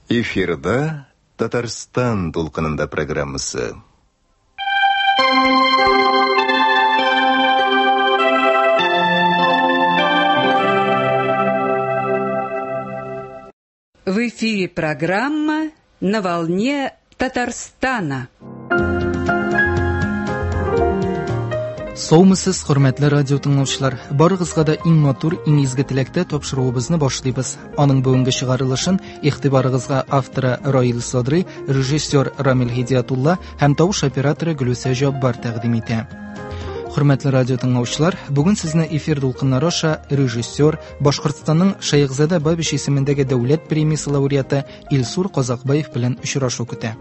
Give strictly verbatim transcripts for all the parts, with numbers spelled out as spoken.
Эфирда Татарстан дулкынында программасы. В эфире программа «На волне Татарстана». Саумысыз, хөрмәтле радио тыңлаучылар. Барыгызга да иң матур, иң изге теләктә тапшыруыбызны башлыйбыз. Аның бүгенге чыгарылышын игътибарыгызга авторы Раил Садри, режиссер Рамил Һидиятулла һәм тавыш операторы Гөлүсә Җаббар тәкъдим итә. Хөрмәтле радио тыңлаучылар, бүген сезне эфир дулкыннары аша режиссер, Башкортстанның Шәйхзада Бабич исемендәге дәүләт премиясе лауреаты Илсур Казакбаев белән очрашу көтә.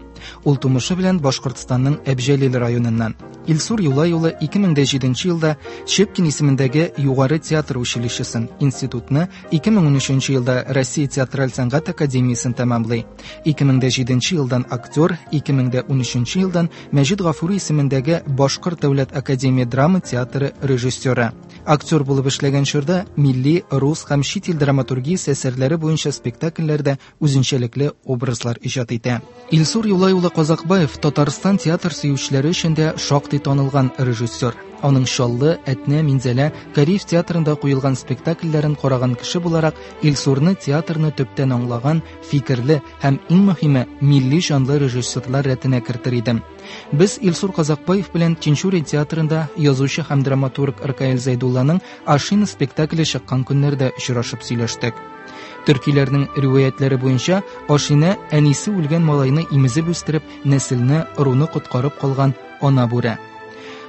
Ул тумышы белән Башкортстанның Әбҗәлил районыннан. Илсур Юлай улы ике мең дә җиденче елда Щепкин исемендәге Югары театр училищесын, институтны ике мең унөченче елда Россия театраль сәнгать академиясен тәмамлый. ике мең дә җиденче елдан актер, ике мең дә унөченче елдан Мәҗит Гафури исемендәге Башкорт дәүләт академия драма театры режиссеры. Актер булып эшләгән чорда милли, рус һәм чит ил драматургиясе әсәрләре буенча спектакльләрдә үзенчәлекле образлар иҗат итә. Илсур Юлай улы Казакбаев Татарстан театр сөючеләре өчен дә шактый танылган режиссер. Аның Чаллы, Әтнә, Минзәлә, Кариев театрында куелган спектакльләрен караган кеше буларак Илсурны театрны төптән аңлаган, фикерле һәм иң мөһиме милли җанлы режиссерлар рәтенә кертер идем. Без Илсур Казакбаев белән Тинчурин театрында язучы һәм драматург Ркаил Зәйдулланың Ашина спектакле чыккан көннәрдә очрашып сөйләштек. Төркиләрнең риваятлары буенча Ашина әнисе үлгән малайны имезеп үстереп, нәселне, ыруны коткарып калган ана бүре.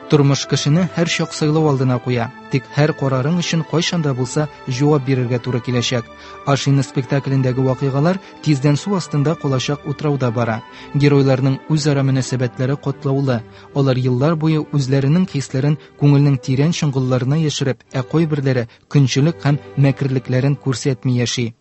Тормыш кешене һәр чак сайлау алдына куя. Тик һәр карарың өчен кайчан да булса җавап бирергә туры киләчәк. Ашина спектаклендәге вакыйгалар тиздән су астында калачак утрауда бара. Геройларның үзара мөнәсәбәтләре катлаулы. Алар еллар буе үзләренең хисләрен күңелнең тирән чоңгылларына яшереп, ә кайберләре көнчелек һәм мәкерлекләрен күрсәтми яши.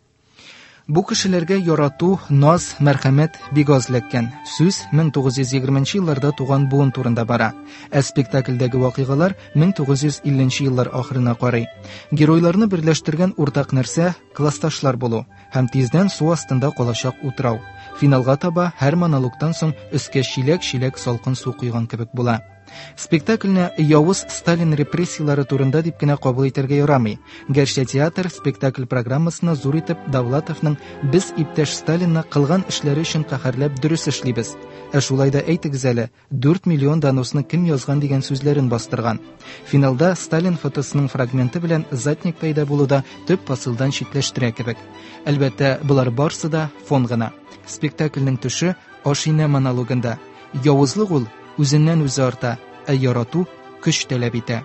Бу кешеләргә ярату, наз, мәрхәмәт бик аз эләккән. Сүз мең тугыз йөз егерменче елларда туган буын турында бара. Ә спектакльдәге вакыйгалар мең тугыз йөз илленче еллар ахырына карый. Геройларны берләштергән уртак нәрсә классташлар булу һәм тиздән су астында калачак утрау. Финалга таба һәр монологтан соң өскә чиләк-чиләк салкын су койган кебек була. Спектакльне явыз Сталин репрессиялары турында дип кенә кабул итәргә ярамый. Гәрчә театр спектакль программасына зур итеп Давлатовның «Без иптәш Сталинны кылган эшләре өчен каһәрләп дөрес эшлибез». Ә шулай да әйтегез әле, дүрт миллион доносны кем язган дигән сүзләрен бастырган. Финалда Сталин фотосының фрагменты белән задник пәйда булу да төп посылдан читләштерә кебек. Әлбәттә, болар барсы да фон гына. Спектакльнең төше Ашина монологында. Явызлык ул үзеннән үзе арта, ә ярату көч таләп итә.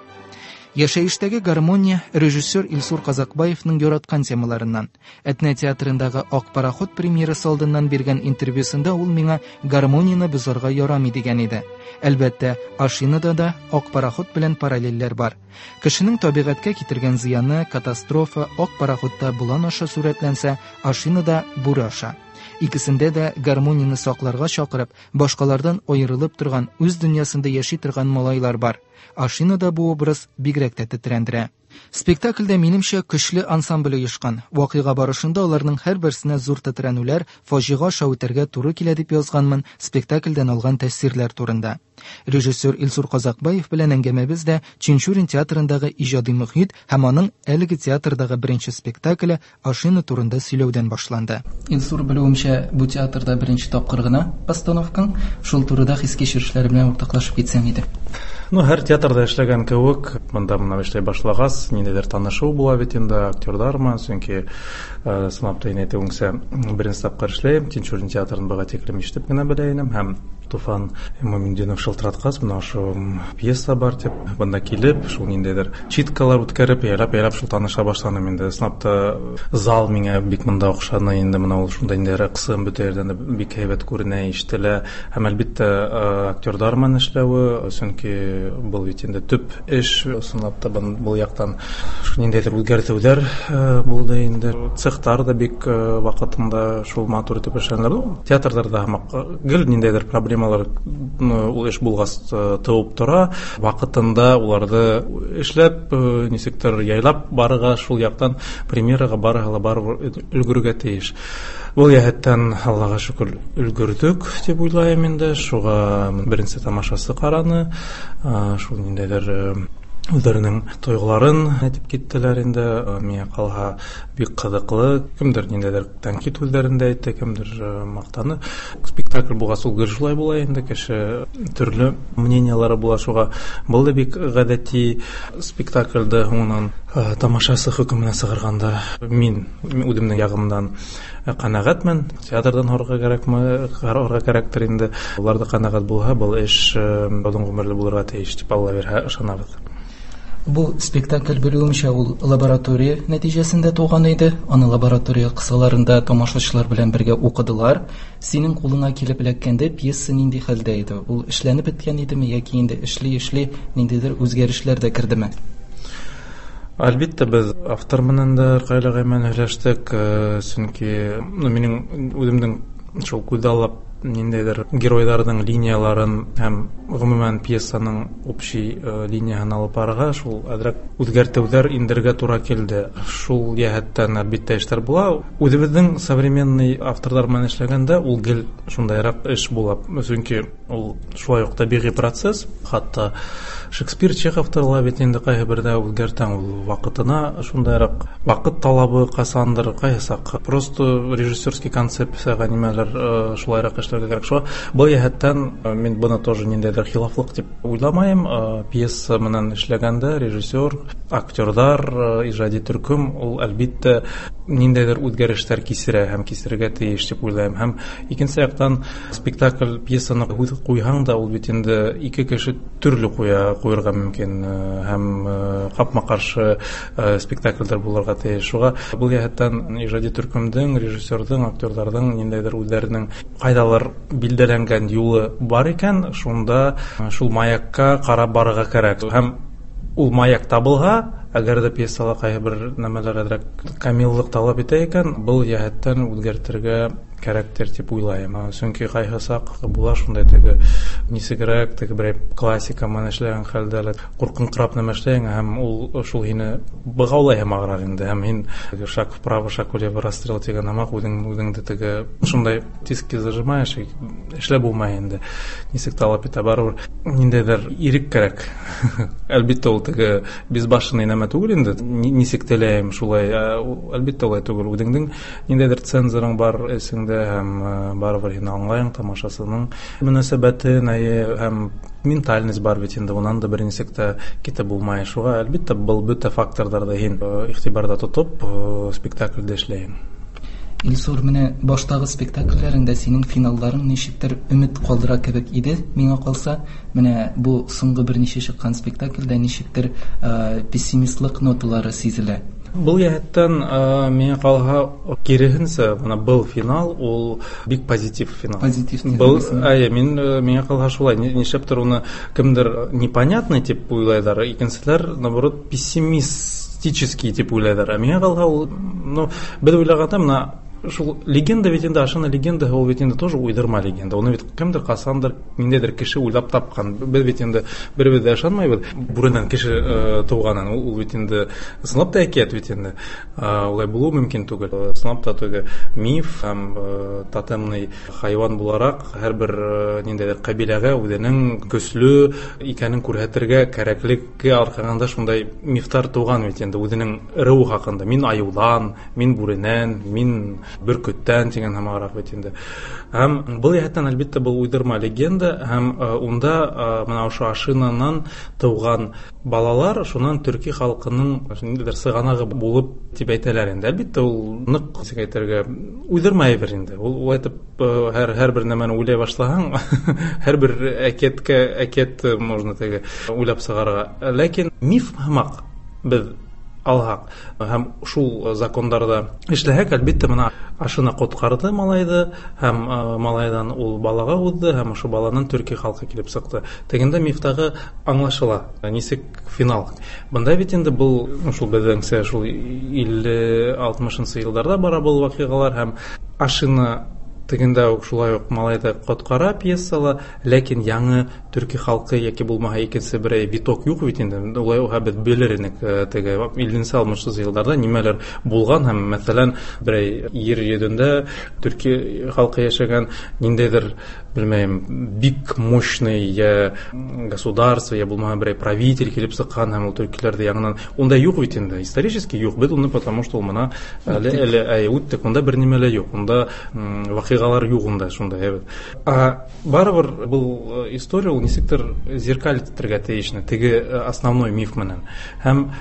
Яшәештәге гармония режиссер Илсур Казакбаевның яраткан темаларыннан. Әтнә театрындагы Ак пароход премьерасы алдыннан биргән интервьюсында ул миңа гармонияне бозарга ярамый дигән иде. Әлбәттә, Ашинада да Ак пароход белән параллельләр бар. Кешенең табигатькә китергән зыяны, катастрофа Ак пароходта болан аша сурәтләнсә, Ашинада бүре аша. Икесендә дә гармонияне сакларга чакырып, башкалардан аерылып торган, үз дөньясында яши торган малайлар бар. Ашинада бу образ бигрәк тә тетрәндерә. Спектакльдә минемчә көчле ансамбль оешкан. Вакыйга барышында аларның һәрберсенә зур тетрәнүләр, фаҗига аша үтәргә туры килә дип язганмын спектакльдән алган тәэсирләр турында. Режиссер Илсур Казакбаев белән әңгәмәбез дә Тинчурин театрындагы иҗади мөхит һәм аның әлеге театрдагы беренче спектакле Ашина турында сөйләүдән башланды. Илсур, белүемчә, бу театрда беренче тапкыр гына постановкаң, шул турыда хис-кичерешләр белән уртаклашып китсәң иде. Ну, һәр театрда эшләгән кебек, монда менә эшләй башлагач, ниндидер танышу була бит инде актерлар менән, чөнки, э, сынап та инде әйтүеңсә, беренче тапкыр эшләйм, Тинчурин театрын бага тиклем ишетеп кенә белә идем һәм Туфан Имамутдинов шылтыраткач, менә ошо пьеса бар дип, бында килеп, шул ниндидер читкалар үткәреп, яйлап-яйлап шул таныша башланым инде. Сынап та зал миңа бик монда охшады инде, менә ул шунда инде рәксым бөтә җирдән дә бик әйбәт күренә, ишетелә. Һәм әлбәттә, э, актерлар менән эшләве, чөнки Сөнки был бит инде төп эш, ысынлап та был яктан ниндәйҙер үҙгәртеүҙәр булды инде. Цехтар да бик ваҡытында шул матур итеп эшләнеләр. Театрҙарҙа һымаҡ гел ниндәйҙер проблемалар ул эш булғас тыуып тора. Ваҡытында уларҙы эшләп, нисектер яйлап барырға, шул яҡтан премьераға барыһы ла барыбер өлгөрөргә тейеш. Был йәһәттән Аллаға шөкөр өлгөрҙөк тип уйлайым инде. Шуға беренсе тамашасы ҡараны, шул ниндәйҙер үҙҙәренең тойғоларын әйтеп киттеләр инде. Миңә ҡалһа бик ҡыҙыҡлы. Кемдер ниндәйҙер тәнҡит һүҙҙәрен дә әйтте, кемдер маҡтаны. Спектакль булғас ул гел шулай була инде, кеше төрлө мнениялары була. Шуға был да бик ғәҙәти. Спектаклде һуңынан тамашасы хөкөмөнә сығарғанда мин үҙемдең яғымдан ҡәнәғәтмен. Театрҙан һорарға кәрәкме, һорарға кәрәктер инде. Улар ҙа ҡәнәғәт булһа, был эш оҙон ғүмерле булырға тейеш тип Алла бирһә ышанабыҙ. Бу спектакль белүемчә ул лаборатория нәтиҗәсендә туган иде. Аны лаборатория кысаларында тамашачылар белән бергә укыдылар. Синең кулыңа килеп эләккәндә пьеса нинди хәлдә иде? Ул эшләнеп беткән идеме яки инде эшли-эшли ниндидер үзгәрешләр дә кердеме? Әлбиттә, без автор менән дә кайлыгы менән һөйләштек, чөнки ну минең үҙемдең шул күҙаллап ниндәйҙер геройҙарҙың линияларын һәм ғөмүмән пьесаның общий линияһын алып барырға шул әҙерәк үҙгәртеүҙәр индерергә тура килде. Шул йәһәттән әлбиттә эштәр була. Үҙебеҙҙең современный авторҙар менән эшләгәндә ул гел шундайыраҡ эш була. Сөнки ул шулай уҡ тәбиғи процесс. Хатта Шекспир, Чеховтар ла бит инде ҡайһы берҙә үҙгәртәң ул ваҡытына шундайыраҡ ваҡыт талабы ҡасандыр, ҡайһы саҡ просто режиссерский концепцияға нимәлер шулайыраҡ эшләргә кәрәк. Шуға был йәһәттән мин быны тоже ниндәйҙер хилафлыҡ тип уйламайым. Пьеса менән эшләгәндә режиссер, актерҙар, ижади төркөм ул әлбиттә ниндәйҙер үҙгәрештәр кисерә һәм кисерергә тейеш тип уйлайым. Һәм икенсе яҡтан спектакль пьесаны ҡуйһаң да ул бит инде ике кеше төрлө ҡуя ҡуйырға мөмкин һәм ҡапма-ҡаршы спектаклдәр булырға тейеш. Шуға был йәһәттән ижади төркөмдөң, режиссерҙың, актерҙарҙың ниндәйҙер үҙҙәренең ҡайҙалыр билдәләнгән юлы бар икән, шунда шул маякка ҡарап барырға кәрәк. Һәм ул маяк табылһа, әгәр ҙә пьесала ҡайһы бер нәмәләр әҙерәк камиллыҡ талап итә икән, был йәһәттән үҙгәртергә кәрәктер тип уйлайым. Сөнки ҡайһы саҡ була шундай теге нисегерәк, теге берәй классика менән эшләгән хәлдә лә ҡурҡыңҡырап нәмә эшләйһең, һәм ул шул һине бығаулай һәм ағыраҡ инде. Һәм һин шаг вправо, шаг влево, расстрел тигән һымаҡ үҙең үҙеңде теге шундай тиски зажимаешь, эшләп булмай инде. Нисек талап итә, барыбер ниндәйҙер ирек кәрәк. Әлбиттә, ул теге безбашенный нәмә түгел инде. Нисек теләйем шулай, әлбиттә улай түгел. Үҙеңдең ниндәйҙер цензорың бар эсеңдә, һәм барыбер һин аңлайың тамашасының мөнәсәбәтен, һәм ментальность бар бит инде, унан да бер нисек тә китеп булмай. Шуға әлбиттә был бөтә факторҙарҙы һин иғтибарҙа тотоп спектаклде эшләйһең. Илсур, менә баштагы спектакльләреңдә синең финалларың ничектер өмет калдыра кебек иде, миңа калса. Менә бу соңгы берничә чыккан спектакльдә ничектер пессимистлык ноталары сизелә. Был йәһәттән миңә ҡалһа киреһенсә, бына был финал ул бик позитив финал. Позитив. Был, әйе, мин миңә ҡалһа шулай, нишләптер уны кемдер непонятный тип уйлайҙар, икенселәр наоборот пессимистический тип уйлайҙар. Ә миңә ҡалһа ул, ну, беҙ уйлағанда мына шул легенда бит инде, ашына легенда ул бит инде тоже уйҙырма легенда. Уны бит кемдер ҡасандыр ниндәйҙер кеше уйлап тапҡан. Беҙ бит инде беребеҙ ҙә ышанмайбыҙ бүренән кеше тыуғанын. Ул бит инде ысынлап та әкиәт бит инде. Улай булыуы мөмкин түгел. Ысынлап та теге миф һәм тотемный хайуан булараҡ һәр бер ниндәйҙер ҡәбиләгә үҙенең көслө икәнен күрһәтергә кәрәклеккә арҡағанда шундай мифтар тыуған бит инде үҙенең ырыуы хаҡында. Мин айыуҙан, мин бүренән, мин бөркөттән тигән һымағыраҡ бит инде. Һәм был йәһәттән әлбиттә был уйҙырма легенда, һәм унда мына ошо ашинанан тыуған балалар шунан төрки халҡының ниндәйҙер сығанағы булып тип әйтәләр инде. Әлбиттә ул ныҡ нисек әйтергә уйҙырма әйбер инде. Ул улай итеп һәр һәр бер нәмәне уйлай башлаһаң, һәр бер әкиәткә әкиәт можно теге уйлап сығарырға. Ләкин миф һымаҡ беҙ алһаҡ һәм шул закондарҙа эшләһәк, әлбиттә, мына Ашина ҡотҡарҙы малайҙы һәм малайҙан ул балаға уҙҙы һәм ошо баланан төрки халҡы килеп сыҡты. Тегендә мифтағы аңлашыла, нисек финал. Бында бит инде был шул беҙҙеңсә шул илле алтмышынсы йылдарҙа бара был ваҡиғалар һәм Ашина тегендә үк шулай уҡ малайҙы ҡотҡара пьесала, ләкин яңы төрки халҡы йәки булмаһа икенсе берәй виток юҡ бит инде. Улай уға беҙ белер инек теге илленсе алтмышынсы йылдарҙа нимәләр булған һәм мәҫәлән берәй ер йөҙөндә төрки халҡы йәшәгән ниндәйҙер белмәйем бик мощный йә государство йә булмаһа берәй правитель килеп сыҡҡан һәм ул төркиләрҙе яңынан унда юҡ бит инде, исторически юҡ. Беҙ уны потому что ул мына әле әле әй үттек, унда бер нимә лә юҡ, унда ваҡиғалар юҡ унда шундай әйбәт. А барыбер был история ул нисектер зеркалить итергә тейеш теге основной миф менән. Һәм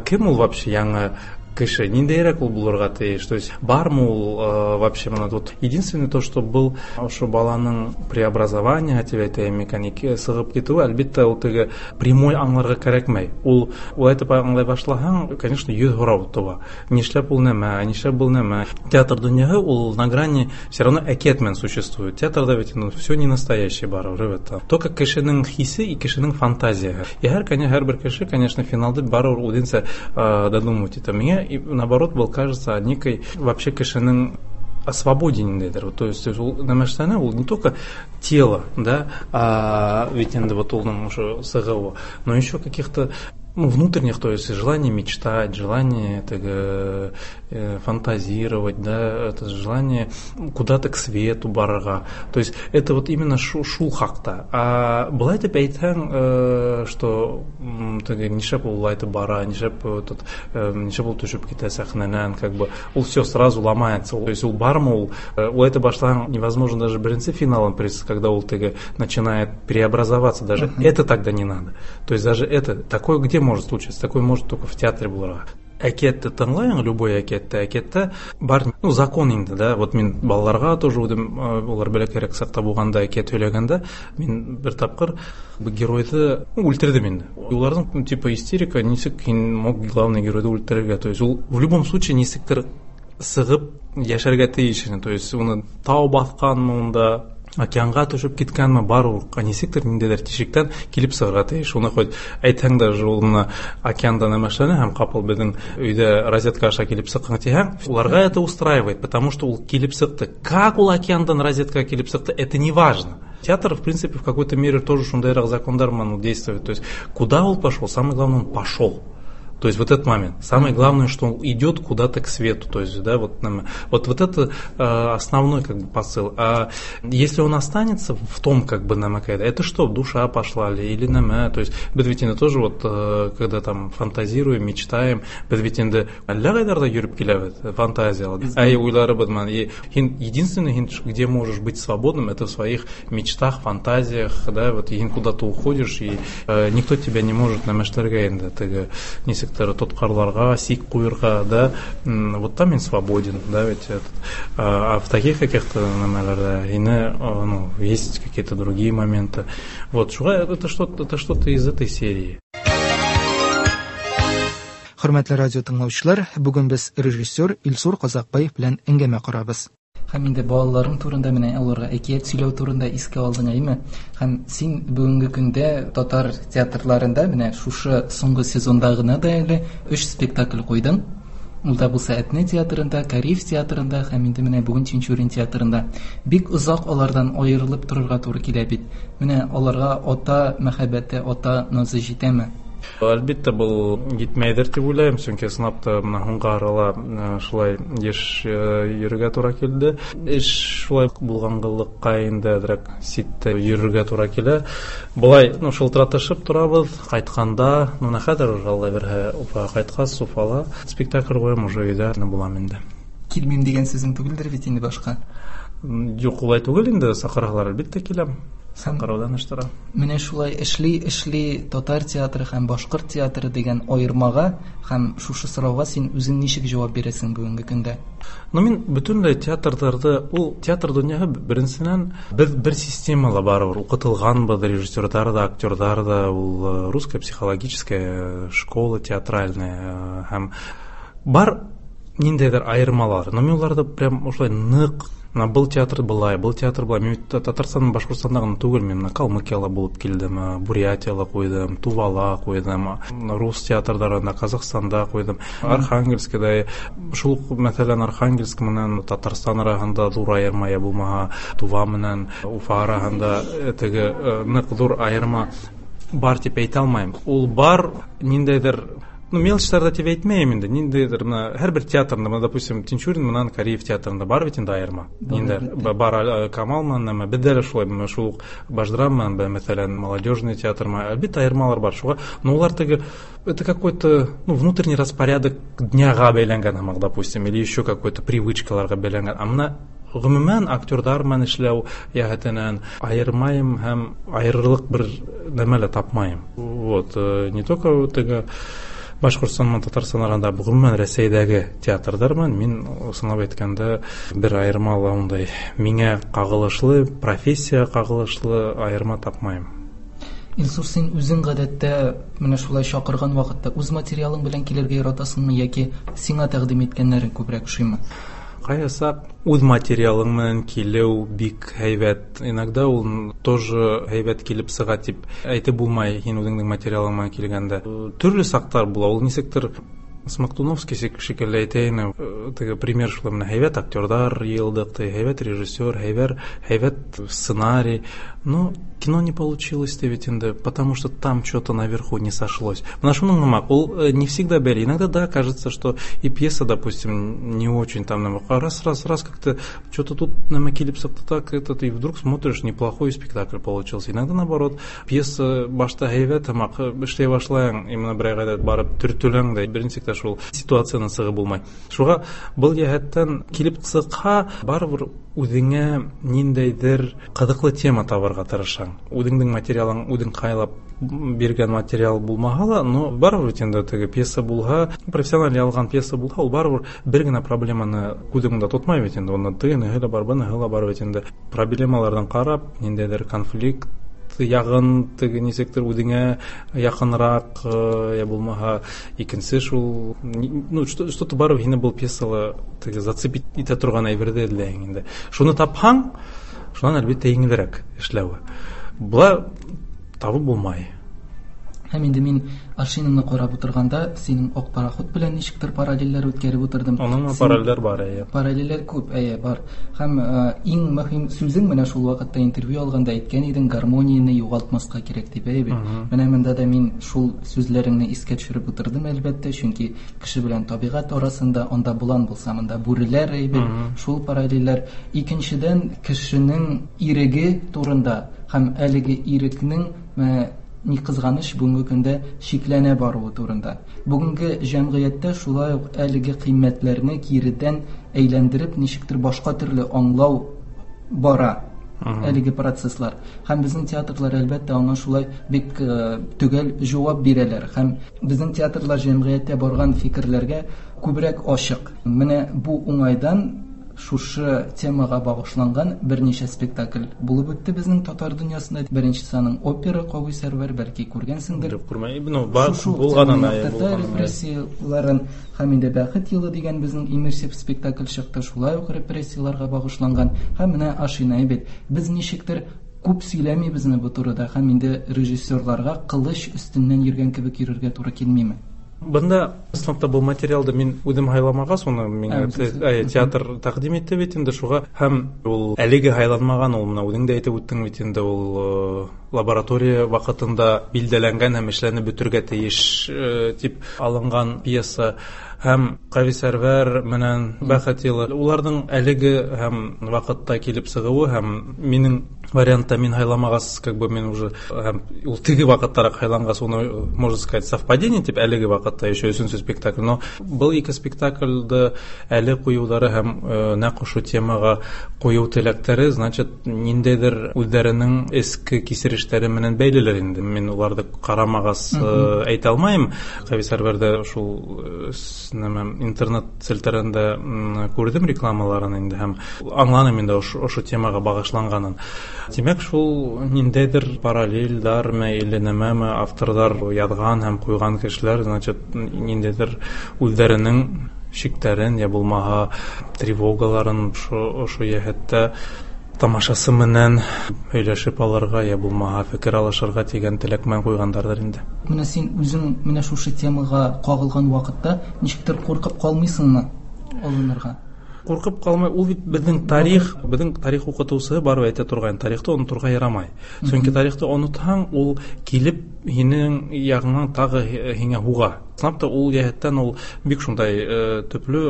кем ул вообще яңы кеше, ниндәйерәк ул булырға тейеш, то есть бармы ул вообще мына тут единственное то, что был ошо баланың преобразование тип әйтәйем микән, сығып китеүе, әлбиттә, ул теге прямой аңларға кәрәкмәй. Ул улай итеп аңлай башлаһаң, конечно, йөҙ һорау тыуа. Нишләп ул нәмә, нишләп был нәмә. Театр донъяһы ул на грани все равно әкиәт менән существует. Театрда бит инде все не настоящий барыбер, әлбиттә. Только кешенең хисе и кешенең фантазияһы. И һәр, һәр бер кеше, конечно, финалды барыбер үҙенсә додумывать итә. Миңә и наоборот был кажется некой вообще кешенең о свободе ниндәйҙер. То есть ул нәмәштәне ул не только тело, да, а ведь инде вот уның ошо сығыуы, но еще каких-то ну, внутренних, то есть желание мечтать, желание теге, э, фантазировать, да, это желание куда-то к свету барырға. То есть это вот именно шу, шул хаҡта. А былай тип әйтһәң, э, что теге нишләп ул улай итеп бара, нишләп этот, э, нишләп ул төшөп китә сәхнәнән, как бы ул все сразу ломается. То есть ул бармы ул, улай итеп башлаһаң, невозможно даже беренсе финалын, когда ул теге начинает преобразоваться, даже uh-huh. это тогда не надо. То есть даже это такое где может случиться, такое может только в театре булырға. Әкиәтте тыңлайың, любой әкиәтте, әкиәттә бар, ну, закон инде, да, вот мин балаларға тоже үҙем, улар бәләкәйерәк саҡта булғанда әкиәт һөйләгәндә, мин бер тапҡыр геройҙы үлтерҙем инде. Уларҙың типа истерика, нисек һин мог главный геройҙы үлтерергә, то есть ул в любом случае нисектер сығып йәшәргә тейеш ине, то есть уны тау баҫҡанмы унда, океанға төшөп киткәнме, барыбер нисектер ниндәйҙер тишектән килеп сығырға тейеш. Уны хоть әйтһәң дә ул мына океанда нәмәшләнә һәм ҡапыл беҙҙең өйҙә розетка аша килеп сыҡҡан тиһәң, уларға это устраивает, потому что ул килеп сыҡты. Как ул океандан розеткаға килеп сыҡты, это не важно. Театр, в принципе, в какой-то мере тоже шундайыраҡ закондар менән действует. То есть куда он пошел, самое главное, он пошел. То есть вот этот момент. Самое главное, что он идет куда-то к свету. То есть, да, вот, вот, вот это э, основной как бы посыл. А если он останется в том, как бы намекает, это что, душа пошла ли или нәмә? То есть, беҙ бит инде тоже вот, э, когда там фантазируем, мечтаем, беҙ бит инде әллә ҡайҙарҙа йөрөп киләбеҙ, фантазияла. Ай уйларыбыҙ менән. И единственное, где можешь быть свободным, это в своих мечтах, фантазиях, да, вот һин куда-то уходишь, и э, никто тебя не может нәмәшләргә инде, теге нисек тотҡарларға, сик ҡуйырға, да, вот там он свободен, да, ведь этот, а в таких каких-то нәмәләрҙә ине, ну, есть какие-то другие моменты. Вот, шуға это что-то, это что-то из этой серии. Хөрмәтле радио тыңлаучылар, бүген без режиссер Илсур Ҡаҙаҡбаев белән әңгәмә ҡорабыҙ. Һәм инде балаларың турында менә аларга әкият сөйләү турында искә алдың, әйме? Һәм син бүгенге көндә татар театрларында менә шушы соңгы сезонда гына да әле өч спектакль куйдың. Ул да булса Әтнә театрында, Кариф театрында һәм инде менә бүген Тинчурин театрында. Бик озак алардан аерылып торырга туры килә бит. Менә аларга ата мәхәббәте, ата назы җитәме? Әлбиттә, был етмәйҙер тип уйлайым, сөнки ысынлап та мына һуңғы арала шулай йыш йөрөргә тура килде. Эш шулай булғанлыҡҡа инде әҙерәк ситтә йөрөргә тура килә. Былай, ну, шылтыратышып торабыҙ, ҡайтҡанда, ну, менә хәҙер уже Алла бирһә, Уфаға ҡайтҡас, Уфала спектакль ҡуям, уже өйҙә булам инде. Килмим дигән сүзең түгелдер бит инде башҡа? Юҡ, улай түгел инде, саҡырһалар әлбиттә киләм. Сакыраудан эш тора. Менә шулай эшли эшли татар театры һәм башкорт театры дигән аермага һәм шушы сорауга син үзең ничек җавап бирәсең бүгенге көндә? Ну, мин бөтенләй театрдарда, ул театр дөньясы беренсеннән без бер системала барыбер укытылганбыз, режиссерлар да, актерлар да, ул русская психологическая школа театральная һәм бар ниндәйдер аермалар. Но мин уларда прям ошолай нык Мына был театр былай, был театр былай. Мин Татарстан, Башкортстанда гына түгел, мин мына Калмыкияла булып килдем, Бурятияла куйдым, Тувала куйдым, рус театрдарында, Казахстанда куйдым, Архангельскида. Шул ук, мәсәлән, Архангельск менән Татарстан арасында зур аерма я булмаһа, Тува менән Уфа арасында теге нык зур аерма бар дип әйтә алмыйм. Ул бар ниндәйдер, ну, мелочьларда дип әйтмәйем инде, ниндәйдер менә һәрбер театрында, менә, допустим, Тинчурин менән Кариев театрында бар бит инде аерма. Ниндәр бар Камал менән, бездә дә шулай, менә шул ук Башдрам менән, мәсәлән, молодежный театр, әлбәттә аермалар бар шуга, но улар теге это какой-то, ну, внутренний распорядок дняга бәйләнгән һамак, допустим, или еще какой-то привычкаларга бәйләнгән. А менә гомумән актердар менән эшләү яһәтенән аермайым һәм аерырлык бер нәмә лә тапмайым. Вот, не только теге Башкортстан менән Татарстан арасында, гомумән Рәсәйдәге театрдар менән мин сынап әйткәндә бер аерма ла ундай миңа кагылышлы, профессия кагылышлы аерма тапмайым. Илсур, син үзең гадәттә менә шулай чакырган вакытта үз материалың белән килергә яратасыңмы яки сиңа тәкъдим иткәннәрең күбрәк ошыймы? Кайсак үз материалың менән килү бик һәйбәт. Иногда ул тоже һәйбәт килеп сыга дип әйтеп булмай, һин үзеңнең материалың менән килгәндә. Төрле сактар була, ул нисектер Смоктуновский шикелле әйтәйен, теге пример шулай, менә һәйбәт актердар йыйылдык, һәйбәт режиссер, һәйбәт, һәйбәт сценарий. Но кино не получилось ведь инде, потому что там что-то наверху не сошлось. Менә шуның нымак, ул не всегда бәйле. Иногда, да, кажется, что и пьеса, допустим, не очень там нымак. А раз, раз, раз, как-то что-то тут нымак килеп сыкты так, этот, и вдруг смотришь, неплохой спектакль получился. Иногда, наоборот, пьеса башта һәйбәт һымак, эшләй башлайың, именно бер айга барып төртеләң дә, беренче шул ситуацияны сыгы булмай. Шуга был йәһәттән килеп сыкха, барыбер үзеңә ниндәйдер кызыклы тема табарга тырышаң. Үзеңнең материалың, үзең кайлап биргән материал булмаһа ла, но барыбер инде теге пьеса булһа, профессиональ ялган пьеса булһа, ул барыбер бер генә проблеманы күз уңында тотмай бит инде. Аны тегене һәлә бар, быны һәлә бар бит инде. Проблемалардан карап, ниндәйдер конфликт ягын теге нисектер үзеңә якынрак, я булмаһа, икенче шул, ну, что-то барыбер һине был пьесала теге зацепить итә торган әйберде эзләйһең инде. Шуны тапһаң, шуннан әлбәттә еңелрәк эшләве. Була табып булмай. Һәм инде мин Ашинаны карап утырганда, синең ак пароход белән ничектер параллельләр үткәреп утырдым. Аның параллельләр бар, әйе. Параллельләр күп, әйе, бар. Һәм иң мөһим сүзең менә шул вакытта интервью алганда әйткән идең, гармонияне югалтмаска кирәк дип, әйе бит. Менә монда да мин шул сүзләреңне искә төшереп утырдым, әлбәттә, чөнки кеше белән табигать арасында анда болан булса, монда бүреләр, әйе бит. Шул параллельләр. Икенчедән, кешенең иреге турында һәм әлеге ирекнең ни кызганыч бүгенге көндә шикләнә баруы турында. Бүгенге җәмгыятьтә шулай ук әлеге кыйммәтләрне киредән әйләндереп ничектер башка төрле аңлау бара әлеге процесслар. Һәм безнең театрлар әлбәттә аңа шулай бик төгәл җавап бирәләр. Һәм безнең театрлар җәмгыятьтә барган фикерләргә күбрәк ачык. Менә бу уңайдан шушы темага багышланган берничә спектакль булып үтте безнең татар дөньясында. Беренчесе аның опера Кави Сәрвәр, бәлки күргәнсеңдер. Юк, күрмәйм. Ну, бар булганын, әйе, булганын. Репрессияларын һәм инде Бәхет елы дигән безнең иммерсив спектакль чыкты, шулай ук репрессияларга багышланган. Һәм менә Ашина бит. Без ничектер күп сөйләмибезме бу турыда һәм инде режиссерларга кылыч өстеннән йөргән кебек йөрергә туры килмиме? Бында сыныпта был материалды мин үҙем һайламағас, уны миңә театр тәҡдим итте бит инде шуға, һәм ул әлеге һайланмаған, ул менә үҙең дә әйтеп үттең бит инде, ул лаборатория ваҡытында билдәләнгән һәм эшләнеп бөтөргә тейеш тип алынған пьеса. Һәм Кави Сәрвәр менән Бәхет елы, уларҙың әлеге һәм ваҡытта килеп сығыуы һәм минең вариантта мин һайламағас, как бы мин уже һәм ул теге ваҡыттараҡ һайланғас, уны, можно сказать, совпадение тип әлеге ваҡытта еще өсөнсө спектакль. Но был ике спектакльде әле ҡуйыуҙары һәм нәҡ ошо темаға ҡуйыу теләктәре, значит, ниндәйҙер үҙҙәренең эске кисерештәре менән бәйлеләр инде. Мин уларҙы ҡарамағас әйтә алмайым. Ҡәви Сәрвәрҙә шул нәмә интернет селтәрендә күрҙем рекламаларын инде һәм аңланым инде ошо темаға бағышланғанын. Тимәк, шул ниндәйҙер параллельдармы или нәмәме авторҙар яҙған һәм ҡуйған кешеләр, значит, ниндәйҙер үҙҙәренең шиктәрен йә булмаһа тревогаларын ошо йәһәттә тамашасы менән һөйләшеп алырға йә булмаһа фекер алышырға тигән теләк менән ҡуйғандарҙыр инде. Менә син үзең менә шушы темаға ҡағылған ваҡытта ничектер ҡурҡып ҡалмайсыңмы алынырға? Ҡурҡып ҡалмай, ул бит беҙҙең тарих, беҙҙең тарих уҡытыусыһы барып әйтә торған, тарихты оноторға ярамай. Сөнки тарихты онотһаң, ул килеп һинең яғыңнан тағы һиңә һуға. Ысынлап та ул йәһәттән ул бик шундай төплө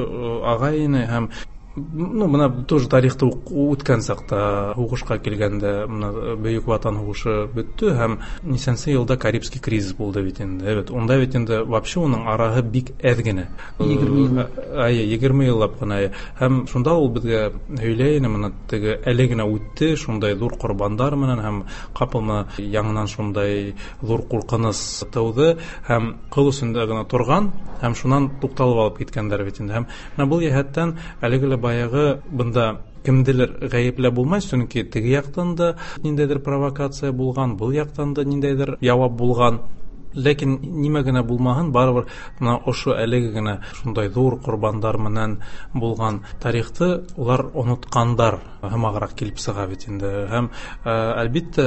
ағай ине һәм ну, бына тоже тарихты үткән саҡта, һуғышҡа килгәндә, бына Бөйөк Ватан һуғышы бөттө һәм нисәнсе йылда Карибский кризис булды бит инде. Evet, унда бит инде вообще уның араһы бик әҙ генә. Егерме йыл. Әйе, егерме йыллап ҡына. Һәм шунда ул беҙгә һөйләй ине, бына теге әле генә үтте, шундай ҙур ҡорбандар менән һәм ҡапыл бына яңынан шундай ҙур ҡурҡыныс тыуҙы һәм ҡыл өсөндә генә торған һәм шунан туҡталып алып киткәндәр бит инде. Һәм бына был йәһәттән әлеге лә баяғы бында кемделер ғәйепләп булмай, сөнки теге яҡтан да ниндәйҙер провокация булған, был яҡтан да ниндәйҙер яуап булған. Ләкин нимә генә булмаһын, барыбер бына ошо әлеге генә шундай ҙур ҡорбандар менән булған тарихты улар онотҡандар һымағыраҡ килеп сыға бит инде. Һәм әлбиттә,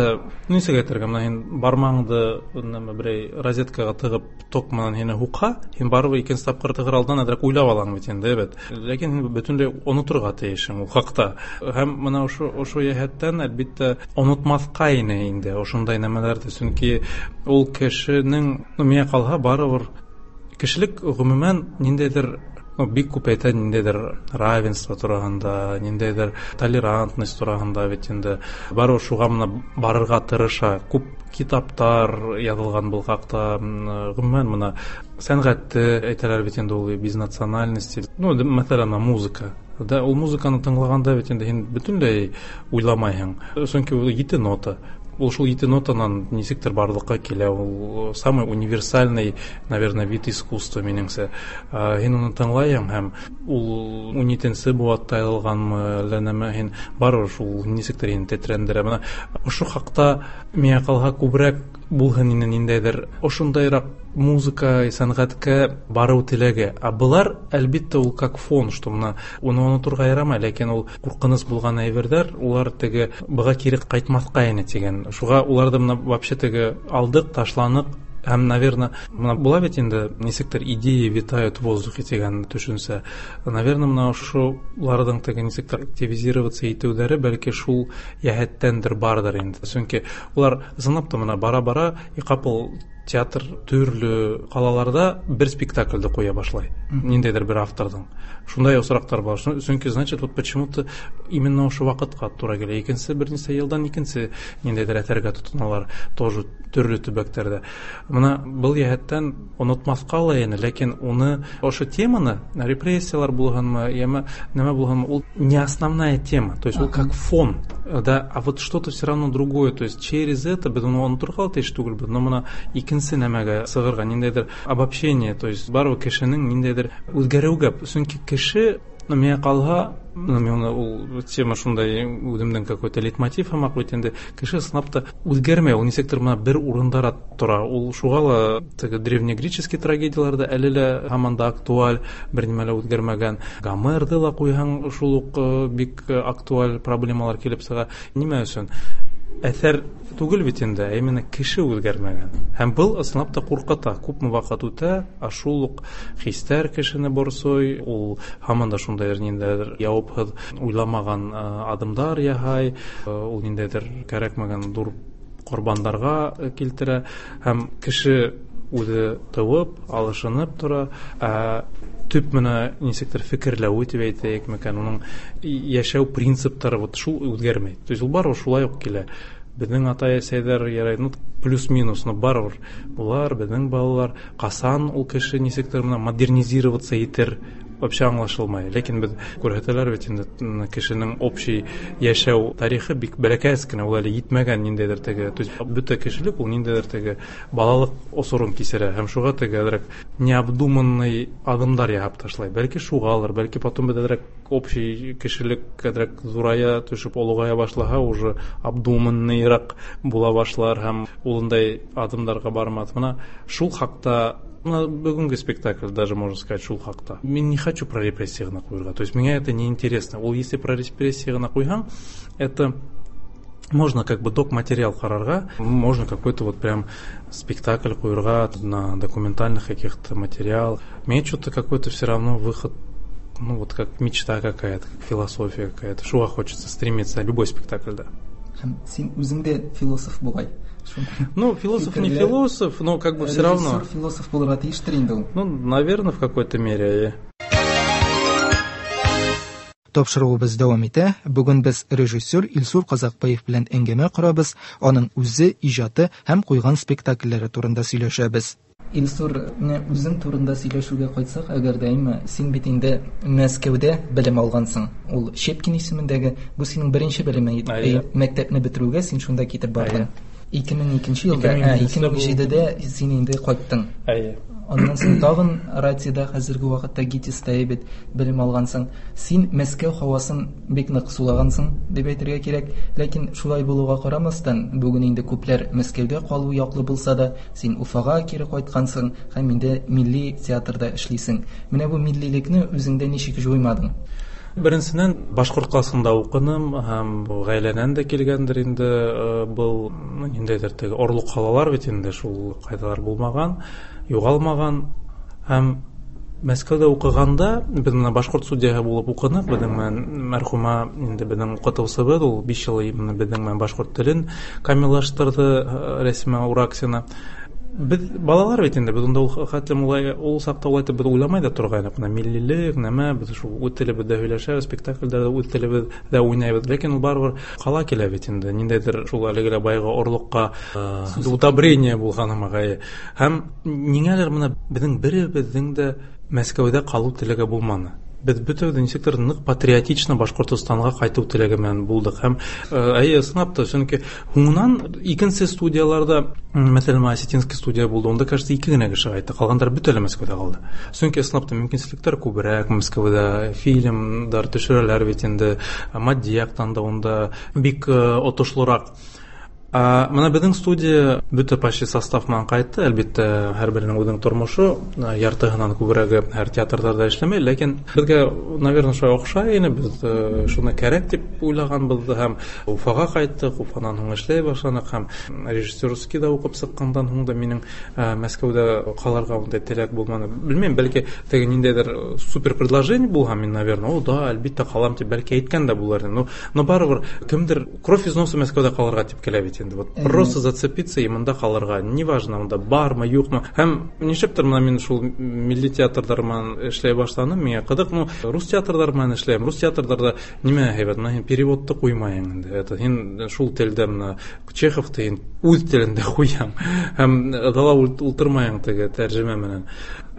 нисек әйтергә, бына һин бармағыңды нәмә берәй розеткаға тығып ток менән һине һуҡһа, һин барыбер икенсе тапҡыр тығыр алдан әҙерәк уйлап алаң бит инде, evet. Ләкин һин бөтөнләй оноторға тейешһең ул хаҡта. Һәм бына ошо ошо йәһәттән әлбиттә онотмаҫҡа ине инде ошондай нәмәләрҙе, сөнки ул кешенең, ну, миңә ҡалһа, барыбер кешелек ғөмүмән ниндәйҙер, ну, бик күп әйтә ниндәйҙер равенство тураһында, ниндәйҙер толерантность тураһында бит инде. Барыбер шуға бына барырға тырыша. Күп китаптар яҙылған был хаҡта, ғөмүмән бына сәнғәтте әйтәләр бит инде, ул без национальности. Ну, мәҫәлән, музыка. Да, ул музыканы тыңлағанда бит инде һин бөтөнләй уйламайһың. Сөнки ул ете нота. Ул шул ете нотанан нисектер барлыҡҡа килә. Ул самый универсальный, наверное, вид искусства минеңсә. Һин уны тыңлайһың һәм ул ун етенсе быуатта яҙылғанмы, әллә нәмә, һин барыбер шул нисектер һине тетрәндерә. Бына ошо хаҡта миңә ҡалһа күберәк булһын ине ниндәйҙер ошондайыраҡ музыка, сәнғәткә барыу теләге. Ә былар, әлбиттә, ул как фон, что бына уны оноторға ярамай, ләкин ул ҡурҡыныс булған әйберҙәр, улар теге быға кире ҡайтмаҫҡа ине тигән. Шуға уларҙы бына вообще теге алдыҡ, ташланыҡ. Һәм, наверное, бына була бит инде нисектер идеи витают в воздухе тигән төшөнсә. Наверное, бына ошоларҙың теге нисектер активизироваться итеүҙәре бәлки шул йәһәттәндер барҙыр инде. Сөнки улар ысынлап та бына бара-бара и ҡапыл театр төрлө ҡалаларҙа бер спектакльде ҡуя башлай. Ниндәйҙер бер авторҙың. Шундай осраҡтар бар. Сөнки, значит, вот почему-то именно ошо ваҡытҡа тура килә. Икенсе бер нисә йылдан икенсе ниндәйҙер әҫәргә тотоналар тоже төрлө төбәктәрҙә. Бына был йәһәттән онотмаҫҡа ла ине, ләкин уны ошо теманы, репрессиялар булғанмы, йәме нәмә булғанмы, ул не основная тема, то есть ул как фон, да, а вот что-то все равно другое, то есть через это беҙ уны оноторға ла тейеш түгелбеҙ, но бына икенсе нәмәгә сығырға ниндәйҙер обобщение, то есть барыбер кешенең ниндәйҙер үҙгәреүгә, сөнки кеше, ну, миңә ҡалһа, ну, мин ул тема шундай үҙемдең какой-то лейтмотив һымаҡ бит инде, кеше ысынлап та үҙгәрмәй, ул нисектер бына бер урындара тора. Ул шуға ла теге древнегреческий трагедиялар да әле лә һаман да актуаль, бер нимә лә үҙгәрмәгән. Гомерҙы ла ҡуйһаң, шул уҡ бик актуаль проблемалар килеп сыға. Нимә өсөн? Әҫәр түгел бит инде, ә именно кеше үҙгәрмәгән. Һәм был ысынлап та ҡурҡыта. Күпме ваҡыт үтә, ә шул уҡ хистәр кешене борсой, ул һаман да шундайҙыр ниндәйҙер яуапһыҙ уйламаған аҙымдар яһай, ул ниндәйҙер кәрәкмәгән ҙур ҡорбандарға килтерә. Һәм кеше үҙе тыуып, алышынып тора, ә төп менә ничектер фикерләве дип әйтәйек микән, уның яшәү принциплары вот шул үзгәрмәй. То есть ул барыбер шулай ук килә. Безнең ата-әсәйләр ярай, ну плюс-минус, но барыбер булар, безнең балалар, касан ул кеше ничектер менә модернизироваться итер, вообще аңлашылмай. Ләкин без күрһәтәләр бит инде кешенең общий яшәү тарихы бик бәләкәс кенә, ул әле җитмәгән ниндәйдер теге, то есть бөтә кешелек ул ниндәйдер теге балалык осорын кисерә һәм шуга теге әзрәк необдуманный адымдар яһап ташлай. Бәлки шугалыр, бәлки потом бит әзрәк общий кешелек әзрәк зурая төшеп олыгая башлаһа, уже обдуманныйрак була башлар һәм улындай адымдарга бармас. Менә шул хакта бүгенге спектакль даже можно сказать шул хакта. Мин не хочу про репрессии гына куярга. То есть меня это не интересно. Ул если про репрессии гына куйһаң, это можно как бы док материал карарга, можно какой-то вот прям спектакль куярга на документальных каких-то материалах. Мне что-то какой-то все равно выход, ну вот как мечта какая-то, как философия какая-то. Шуга хочется стремиться, любой спектакль, да. Һәм син үзең дә философ бугай. Ну, философ не философ, но как бы все равно. Режиссер философ булырга тиештер инде ул. Ну, наверное, в какой-то мере. Тапшыруыбыз дәвам итә. Бүген без режиссер Илсур Казакбаев белән әңгәмә корабыз, аның үзе, иҗаты һәм куйган спектакльләре турында сөйләшәбез. Илсур, менә үзең турында сөйләшүгә кайтсак, әгәр дә әйме, син бит инде Мәскәүдә белем алгансың. Ул Щепкин исемендәге, бу синең беренче белемең иде. Мәктәпне бетерүгә син шунда китеп бардың. ике мең икенче елда, ике мең җидедә син инде кайттың. Әйе. Аннан соң тагын Ратида, хәзерге вакытта ГИТИСта бит белем алгансың. Син Мәскәү һавасын бик нык сулагансың дип әйтергә кирәк. Ләкин шулай булуга карамастан, бүген инде күпләр Мәскәүдә калу яклы булса да, син Уфага кире кайткансың һәм инде милли театрда эшлисең. Менә бу миллилекне үзеңдә ничек җуймадың? Беренсеннән башкорт классында укыным һәм гаиләдән дә килгәндер инде был ниндәйдер теге орлык халалар бит инде шул кайдалар булмаган, югалмаган. Һәм Мәскәүдә укыганда без менә башкорт студияһы булып укынык, безнең менән мәрхүмә инде безнең укытучыбыз, ул биш ел менә безнең менән башкорт телен камиллаштырды Рәсимә Ураксина. Без балалар бит инде, без унда ул хәтлем улай, ул сакта улай итеп без уйламай да торгайнык. Менә миллилек, нәмә, без шул үз телебездә һөйләшәбез, спектакльдә үз телебездә уйнайбыз. Ләкин ул барыбер кала килә бит инде. Ниндәйдер шул әлеге лә баягы орлыкка удобрение булган магай. Һәм ниңәлер менә безнең беребезнең дә Мәскәүдә калу теләге булманы. Без бөтен ничектер нык патриотично Башкортостанга кайту теләге белән булдык. Һәм әйе, сынап та, чөнки һуңынан икенче студияларда, мәсәлән, осетинский студия булды, унда, кажется, ике генә кеше кайтты, калганнар бөтенләй Мәскәүдә калды. Чөнки сынап та мөмкинчелекләр күбрәк, Мәскәүдә фильмнар төшерәләр бит инде, матди яктан да унда бик отышлырак. Менә безнең студия бөтә почти состав менән кайтты. Әлбәттә, һәрберенең үзенең тормышы, яртыһынан күбрәге һәр театрда эшләмәй, ләкин безгә, наверное, шулай охшай ине, без шуны кәрәк дип уйлаганбыз һәм Уфага кайттык, Уфадан һуң эшләй башланык һәм режиссерский да укып чыккандан һуң да минем Мәскәүдә калырга ундай теләк булмады. Белмим, бәлки теге ниндәйдер супер предложение булган, мин, наверное, о, да, әлбәттә калам дип бәлки әйткән дә булыр идем. Но, но барыбер кемдер кровь из носа Мәскәүдә калырга дип килә бит. Вот просто зацепиться и монда калырга, неважно, монда бармы, юкмы. Һәм нишләптер менә мин шул милли театрдар менән эшләй башланым, миңа кызык, ну, рус театрдар менән эшләйм. Рус театрдарда нимә һәйбәт, менә һин переводты куймайың инде. Это һин шул телдә менә Чеховты һин үз телендә куяң. Һәм дала ултырмайың теге тәрҗемә менән.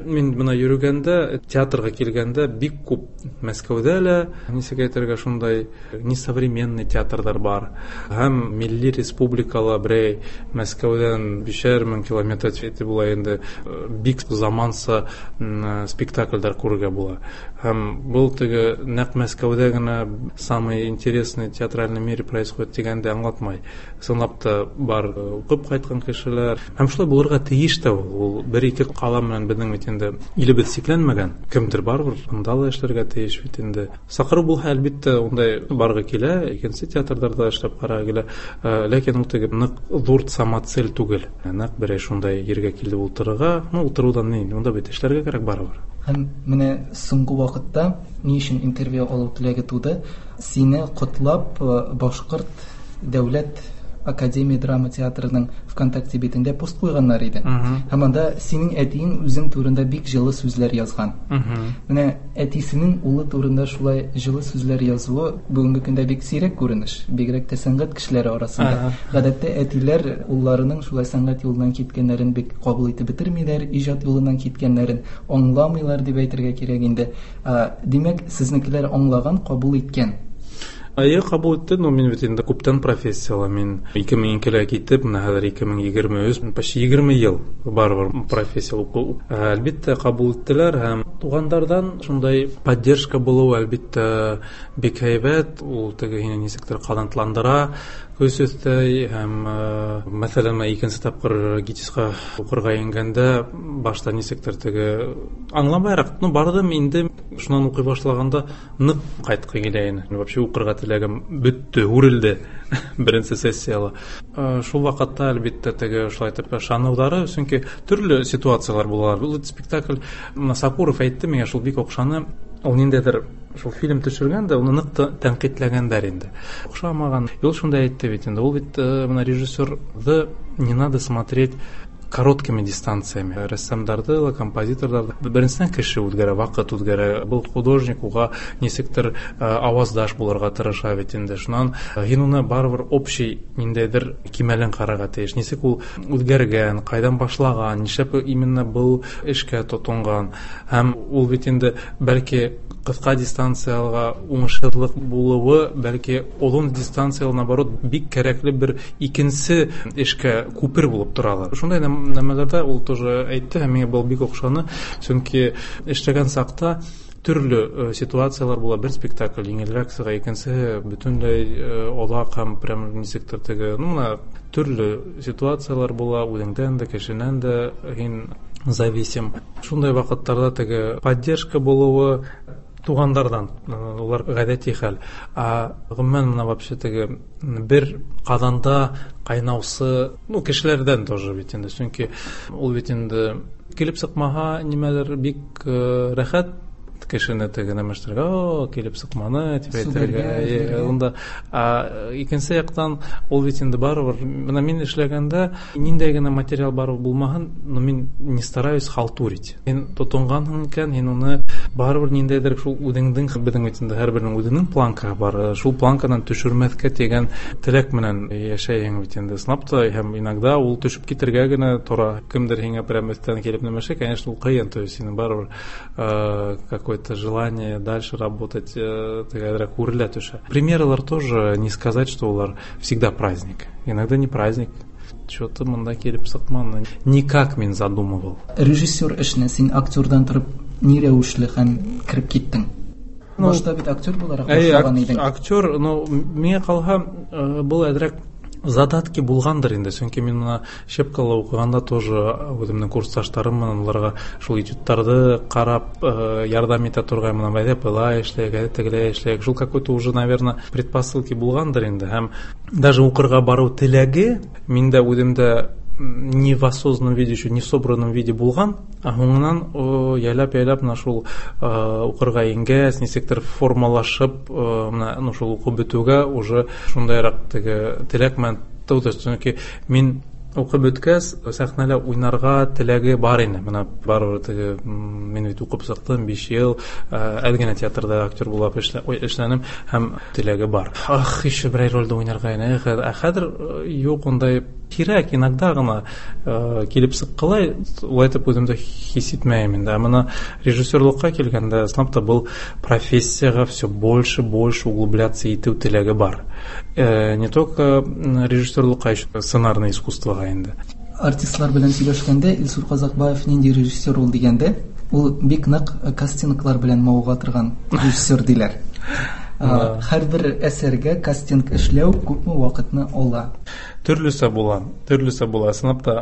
Мин менә йөргәндә, театрга килгәндә бик күп Мәскәүдә лә, ничек әйтергә, шундай несовременный театрдар бар. Һәм милли республикала берәй Мәскәүдән бишәр мең километр итеп була инде, бик заманса спектакльләр күрергә була. Һәм был теге нәкъ Мәскәүдә генә самый интересный театральный мире происходит дигәндә аңлатмай. Чынлап та бар укып кайткан кешеләр. Һәм шулай булырга тиеш тә ул. Ул бер-ике кала белән безнең бит инде илебез чикләнмәгән. Кемдер барыбер анда да эшләргә тиеш бит инде. Сакыру булһа, әлбәттә, ундай баргы килә, икенче театрдарда эшләп карага килә. Ләкин ул теге нык зур самоцель түгел. Нәкъ берәй шундай ергә килеп утырырга, ну, утырудан ни, унда бит эшләргә кирәк барыбер. Һәм менә соңгы вакытта ни өчен интервью алу теләге туды? Сине котлап Башкорт дәүләт Академия драма театрының ВКонтакте битендә пост куйганнар иде. Һәм анда синең әтиең үзең турында бик җылы сүзләр язган. Менә әтисенең улы турында шулай җылы сүзләр язуы бүгенге көндә бик сирәк күренеш, бигрәк тә сәнгать кешеләре арасында. Гадәттә әтиләр улларының шулай сәнгать юлыннан киткәннәрен бик кабул итеп бетермиләр, иҗат юлыннан киткәннәрен аңламыйлар дип әйтергә кирәк инде. Димәк, сезнекеләр аңлаган, кабул иткән. Әйе, кабул итте, но мин бит инде күптән профессияла. Мин ике мең икелә китеп, менә хәзер ике мең егерме өч, почти егерме ел барыбер профессия уку. Әлбиттә, кабул иттеләр һәм тугандардан шундай поддержка булу, әлбиттә, бик әйбәт. Ул теге һине ничектер канатландыра, көс өстәй һәм, мәсәлән, мин икенче тапкыр ГИТИСка укырга ингәндә башта ничектер теге аңламайрак, ну бардым инде, шуннан укый башлаганда нык кайткы килә инде. Вообще укырга теләгем бетте, үрелде беренче сессияла. Шул вакытта әлбиттә теге шулай итеп ышанулары, чөнки төрле ситуациялар булалар. Бу спектакль Сакуров әйтте миңа, шул бик охшаны, ул ниндәдер шул фильм төшергән дә, уны нык тәнкыйтьләгәннәр инде. Охшамаган. Ул шунда әйтте бит инде, ул бит менә режиссерды не надо смотреть короткими дистанциями. Рәссамдарды ла, композиторларды. Беренчедән кеше үткәрә, вакыт үткәрә. Был художник уга нисектер аваздаш булырга тырыша бит инде. Шуннан һин уны барыбер общий ниндәйдер кимәлен карарга тиеш. Нисек ул үткәргән, кайдан башлаган, нишләп именно был эшкә тотынган. Һәм ул бит инде бәлки кыска дистанциялга уңышсызлык булуы, бәлки озын дистанциялы, наоборот, бик кирәкле бер икенче эшкә күпер булып торалар. Шундай нәмәләрдә ул тоже әйтте, һәм миңа был бик охшаны, чөнки эшләгән сакта төрле ситуациялар була. Бер спектакль еңелрәк сыга, икенче бөтенләй олак һәм прям нисектер теге, ну, менә төрле ситуациялар була, үзеңдән дә, кешенән дә һин зависим. Шундай вакытларда теге поддержка булуы тугандардан, улар гадәти хәл. А гомумән менә вообще теге бер казанда кайнаусы, ну, кешеләрдән тоже бит инде, чөнки ул бит инде килеп чыкмаһа нимәлер бик рәхәт кешене теге нәмәштерергә, о, килеп чыкманы дип әйтергә. Унда икенче яктан ул бит инде барыбер, менә мин эшләгәндә ниндәй генә материал барып булмаһын, но мин не стараюсь халтурить. Һин тотынганһың икән, һин уны барыбер ниндәйдер шул үзеңдең, беҙҙең бит инде һәрберенең үзенең планкаһы бар, шул планкадан төшөрмәҫкә тигән теләк менән йәшәйһең бит инде. Сынап та һәм иногда ул төшөп китергә генә тора. Кемдер һиңә прям өҫтән килеп нәмәшә, конечно, ул ҡыйын, то есть һинең барыбер какое-то желание дальше работать, тегерәк үрелә төшә. Премьералар тоже не сказать, что улар всегда праздник. Иногда не праздник. Что-то монда килеп сыҡманы. Никак мин задумывал. Режиссер эшенә син актердан торып ни рәвешле һәм кереп киттең? Башта бит актер буларак башлаган идең. Актер, но миңа калһа, был әҙерәк задатки булғандыр инде, чөнки мин мына Щепкала уҡығанда тоже үҙемдең курсташтарым менән уларға шул этюдтарҙы ҡарап ярҙам итә торған, мына әйҙә былай эшләйек, әйҙә тегеләй эшләйек. Шул какой-то уже, наверное, предпосылки булғандыр инде. Һәм даже уҡырға барыу теләге миндә үҙемдә не в осознанном виде, еще не в собранном виде булған, а һуңынан яйлап-яйлап мына шул уҡырға ингәс, нисектер формалашып, мына ну шул уҡып бөтөүгә уже шундайыраҡ теге теләк менән тыуҙы. Сөнки мин уҡып бөткәс, сәхнәлә уйнарға теләге бар ине. Мына барыбер теге мин бит уҡып сыҡтым биш йыл, әҙ генә театрҙа актер булып эшләнем һәм теләге бар. Ах, еще берәй ролдә уйнарға ине. Ә хәҙер юҡ, ундай кирәк, иногда ғына килеп сыҡҡылай, улай итеп үҙемде хис итмәйем инде. Ә мына режиссерлыҡҡа килгәндә, ысынлап та был профессияға все больше, больше углубляться итеү теләге бар. Не только режиссерлыҡҡа, еще сценарный искусствоға инде. Артистлар белән сөйләшкәндә Илсур Ҡаҙаҡбаев ниндәй режиссер ул дигәндә, ул бик нык кастинглар белән мавыға торган режиссер диләр. Һәрбер әсәргә кастинг эшләү күпме ваҡытны ала? Төрлөсә була, төрлөсә була. Ысынлап та,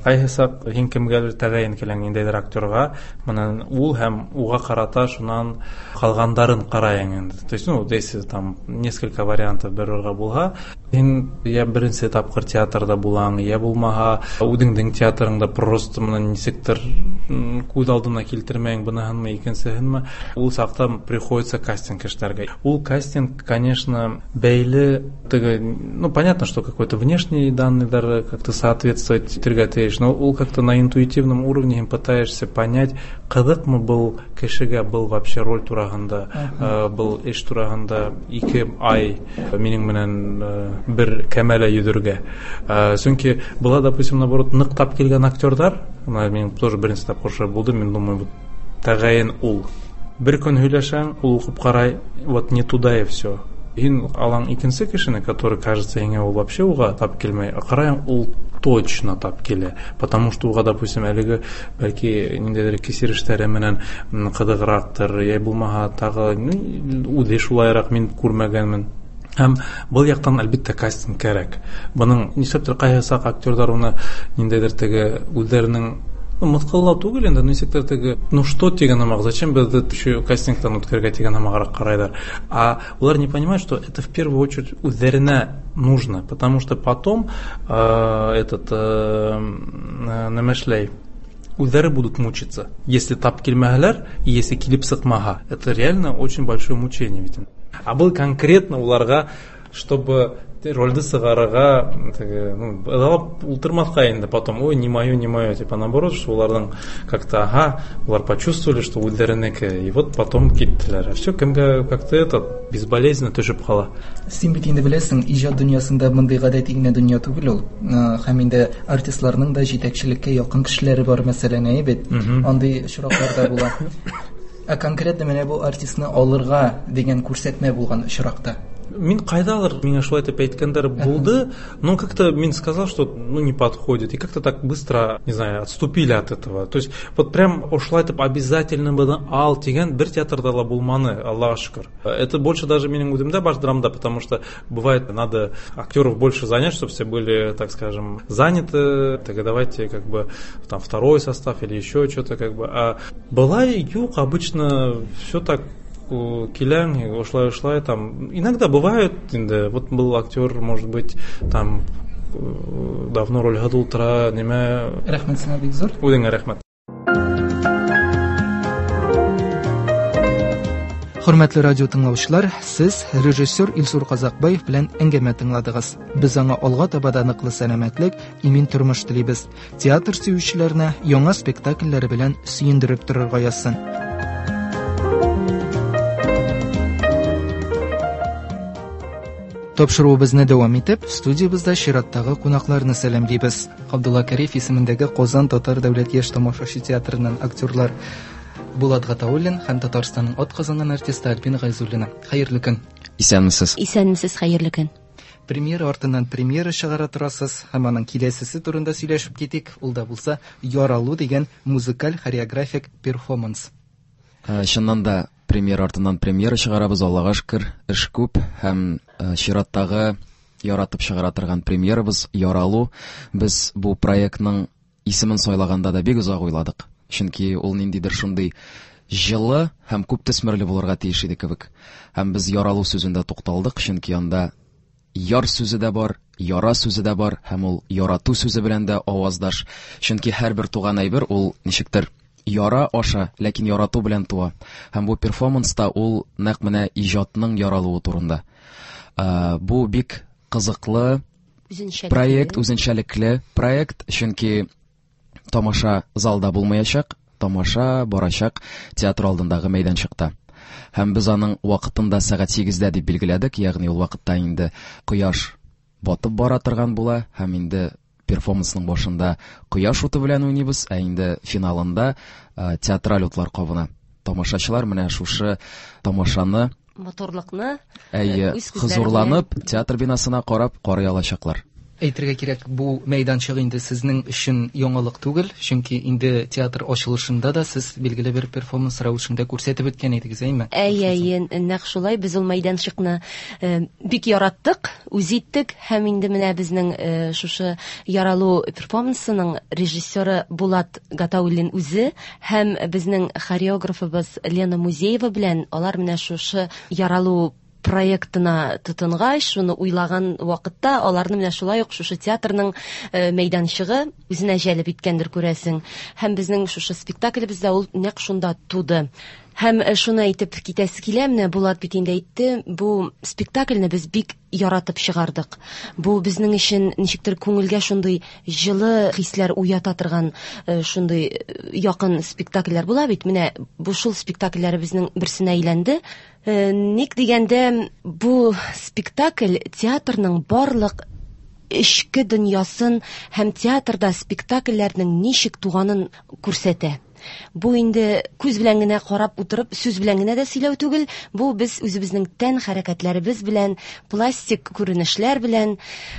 ҡайһы саҡ һин кемгәлер тәғәйен киләң ниндәйҙер актерға, менән ул һәм уға ҡарата шунан ҡалғандарын ҡарайың инде. То есть, ну, если там несколько вариантов бер ролгә булһа, Һин я беренсе тапҡыр театрҙа булаң, я булмаһа үҙеңдең театрыңда просто менән нисектер күҙ алдына килтермәйең быныһынмы, икенсеһенме. Ул саҡта приходится кастинг эшләргә. Ул кастинг, конечно, бәйле теге, ну, понятно, что какой-то внешний данныйҙар как-то соответствовать итергә тейеш, но ул как-то на интуитивном уровне һин пытаешься понять, ҡыҙыҡмы был кешегә был вообще роль тураһында, был эш тураһында ике ай минең менән бер кәмәлә йөҙөргә. Сөнки была, допустим, наоборот, ныҡ тап килгән актерҙар, мин тоже беренсе тапҡыр шулай булды, мин думаю, вот тәғәйен ул. Бер көн һөйләшәң, ул уҡып ҡарай, вот не туда и все. Һин алаң икенсе кешене, который, кажется, һиңә ул вообще уға тап килмәй, ҡарайың, ул точно тап килә, потому что уға, допустим, әлеге бәлки ниндәйҙер кисерештәре менән ҡыҙығыраҡтыр, йә булмаһа тағы үҙе шулайыраҡ мин күрмәгәнмен. Һәм был яҡтан, әлбиттә, кастинг кәрәк. Бының нишләптер ҡайһы саҡ актерҙар уны ниндәйҙер теге үҙҙәренең мыҫҡыллау түгел инде, нисектер теге, ну что тигән һымаҡ, зачем беҙҙе еще кастингтан үткәрергә тигән һымағыраҡ ҡарайҙар. А улар не понимают, что это в первую очередь үҙҙәренә нужно, потому что потом э, этот э, нәмәшләй үҙҙәре будут мучиться. Если тап килмәһәләр, и если килеп сыҡмаһа, это реально очень большое мучение ведь. А был конкретно уларға, чтобы рольды сығарырға, теге, ну, ыҙалап ултырмаҫҡа инде потом, ой, не мое, не мое, типа наоборот, что уларҙың как-то, ага, улар почувствовали, что үҙҙәренеке, и вот потом киттеләр. А все кемгә как-то этот безболезненно төшөп ҡала. Син бит инде беләсең, ижад донъясында бындай ғәдәти генә донъя түгел ул. Һәм инде артистларның да җитәкчелеккә якын кешеләре бар, мәсәлән, әйе бит. Андый очраклар да була. Ә конкретно менә бу артистны алырга дигән күрсәтмә булган очракта Мин ҡайҙалыр, миңә шулай итеп әйткәндәр булды, но как-то мин сказал, что ну не подходит, и как-то так быстро, не знаю, отступили от этого. То есть вот прям ошолай итеп обязательно быны ал тигән бер театрҙа ла булманы, Аллаға шөкөр. Это больше даже минең үҙемдә баш драмда, потому что бывает надо актеров больше занять, чтобы все были, так скажем, заняты, так давайте как бы там второй состав или еще что-то как бы. А была юҡ, обычно все так киләң, ошолай, ошолай, там, иногда бывает, инде, вот был актер, может быть, там, давно роль ултыра, нимә. Рәхмәт сиңа бик зур. Үҙеңә рәхмәт. Хөрмәтле радио тыңлаучылар, сез режиссер Илсур Казакбаев белән әңгәмә тыңладыгыз. Без аңа алга таба да ныклы сәламәтлек, имин тормыш телибез. Театр сөючеләренә яңа спектакльләре белән сөендереп торырга язсын. Тапшыруыбызны дәвам итеп, студиябездә чираттагы кунакларны сәламлибез. Габдулла Кариев исемендәге Казан татар дәүләт яшь тамашачы театрыннан актерлар Булат Гатауллин һәм Татарстанның атказанган артисты Альбина Гайзуллина. Хәерле көн. Исәнмесез. Исәнмесез, хәерле көн. Премьера артыннан премьера чыгара торасыз һәм аның киләсесе турында сөйләшеп китик. Ул да булса Яралу дигән музыкаль хореографик перформанс. Чыннан да премьера артыннан премьера чыгарабыз, Аллага шөкер, эш күп һәм чираттагы яратып чыгара торган премьерабыз Яралу. Без бу проектның исемен сайлаганда да бик озак уйладык. Чөнки ул ниндидер шундый җылы һәм күп төсмерле булырга тиеш иде кебек. Һәм без яралу сүзендә тукталдык, чөнки анда яр сүзе дә бар, яра сүзе дә бар, һәм ул ярату сүзе белән дә аваздаш. Чөнки һәрбер туган әйбер ул ничектер яра аша, ләкин ярату белән туа. Һәм бу перформанста ул нәкъ менә иҗатның яралуы турында. Бу бик кызыклы проект, үзенчәлекле проект, чөнки тамаша залда булмаячак, тамаша барачак театр алдындагы мәйданчыкта. Һәм без аның вакытын да сәгать сигездә дип билгеләдек, ягъни ул вакытта инде кояш батып бара торган була, һәм инде перформансның башында кояш уты белән уйныйбыз, ә инде финалында театраль утлар кабына. Тамашачылар менә шушы тамашаны, матурлыкны, әйе, хозурланып театр бинасына карап карый алачаклар. Әйтергә кирәк, бу мәйданчык инде сезнең өчен яңалык түгел, чөнки инде театр ачылышында да сез билгеле бер перформанс рәвешендә күрсәтеп үткән идегез, әйме? Әйе, әйе, нәкъ шулай. Без ул мәйданчыкны бик яраттык, үз иттек, һәм инде менә безнең шушы Яралу перформансының режиссеры Булат Гатауллин үзе һәм безнең хореографыбыз Лена Музеева белән алар менә шушы Яралу проектына тотынгач, шуны уйлаган вакытта аларны менә шулай ук шушы театрның мәйданчыгы үзенә җәлеп иткәндер, күрәсең. Һәм безнең шушы спектаклебез дә ул нәкъ шунда туды. Һәм шуны әйтеп китәсе килә, менә Булат бит инде әйтте, бу спектакльне без бик яратып чыгардык. Бу безнең өчен ничектер күңелгә шундый җылы хисләр уята торган шундый якын спектакльләр була бит. Менә бу шул спектакльләребезнең берсенә әйләнде. Ник дигәндә, бу спектакль театрның барлык эчке дөньясын һәм театрда спектакльләрнең ничек туганын күрсәтә. Бу инде күз белән генә карап утырып, сүз белән генә дә сөйләү түгел, бу без үзебезнең тән хәрәкәтләребез белән, пластик күренешләр белән,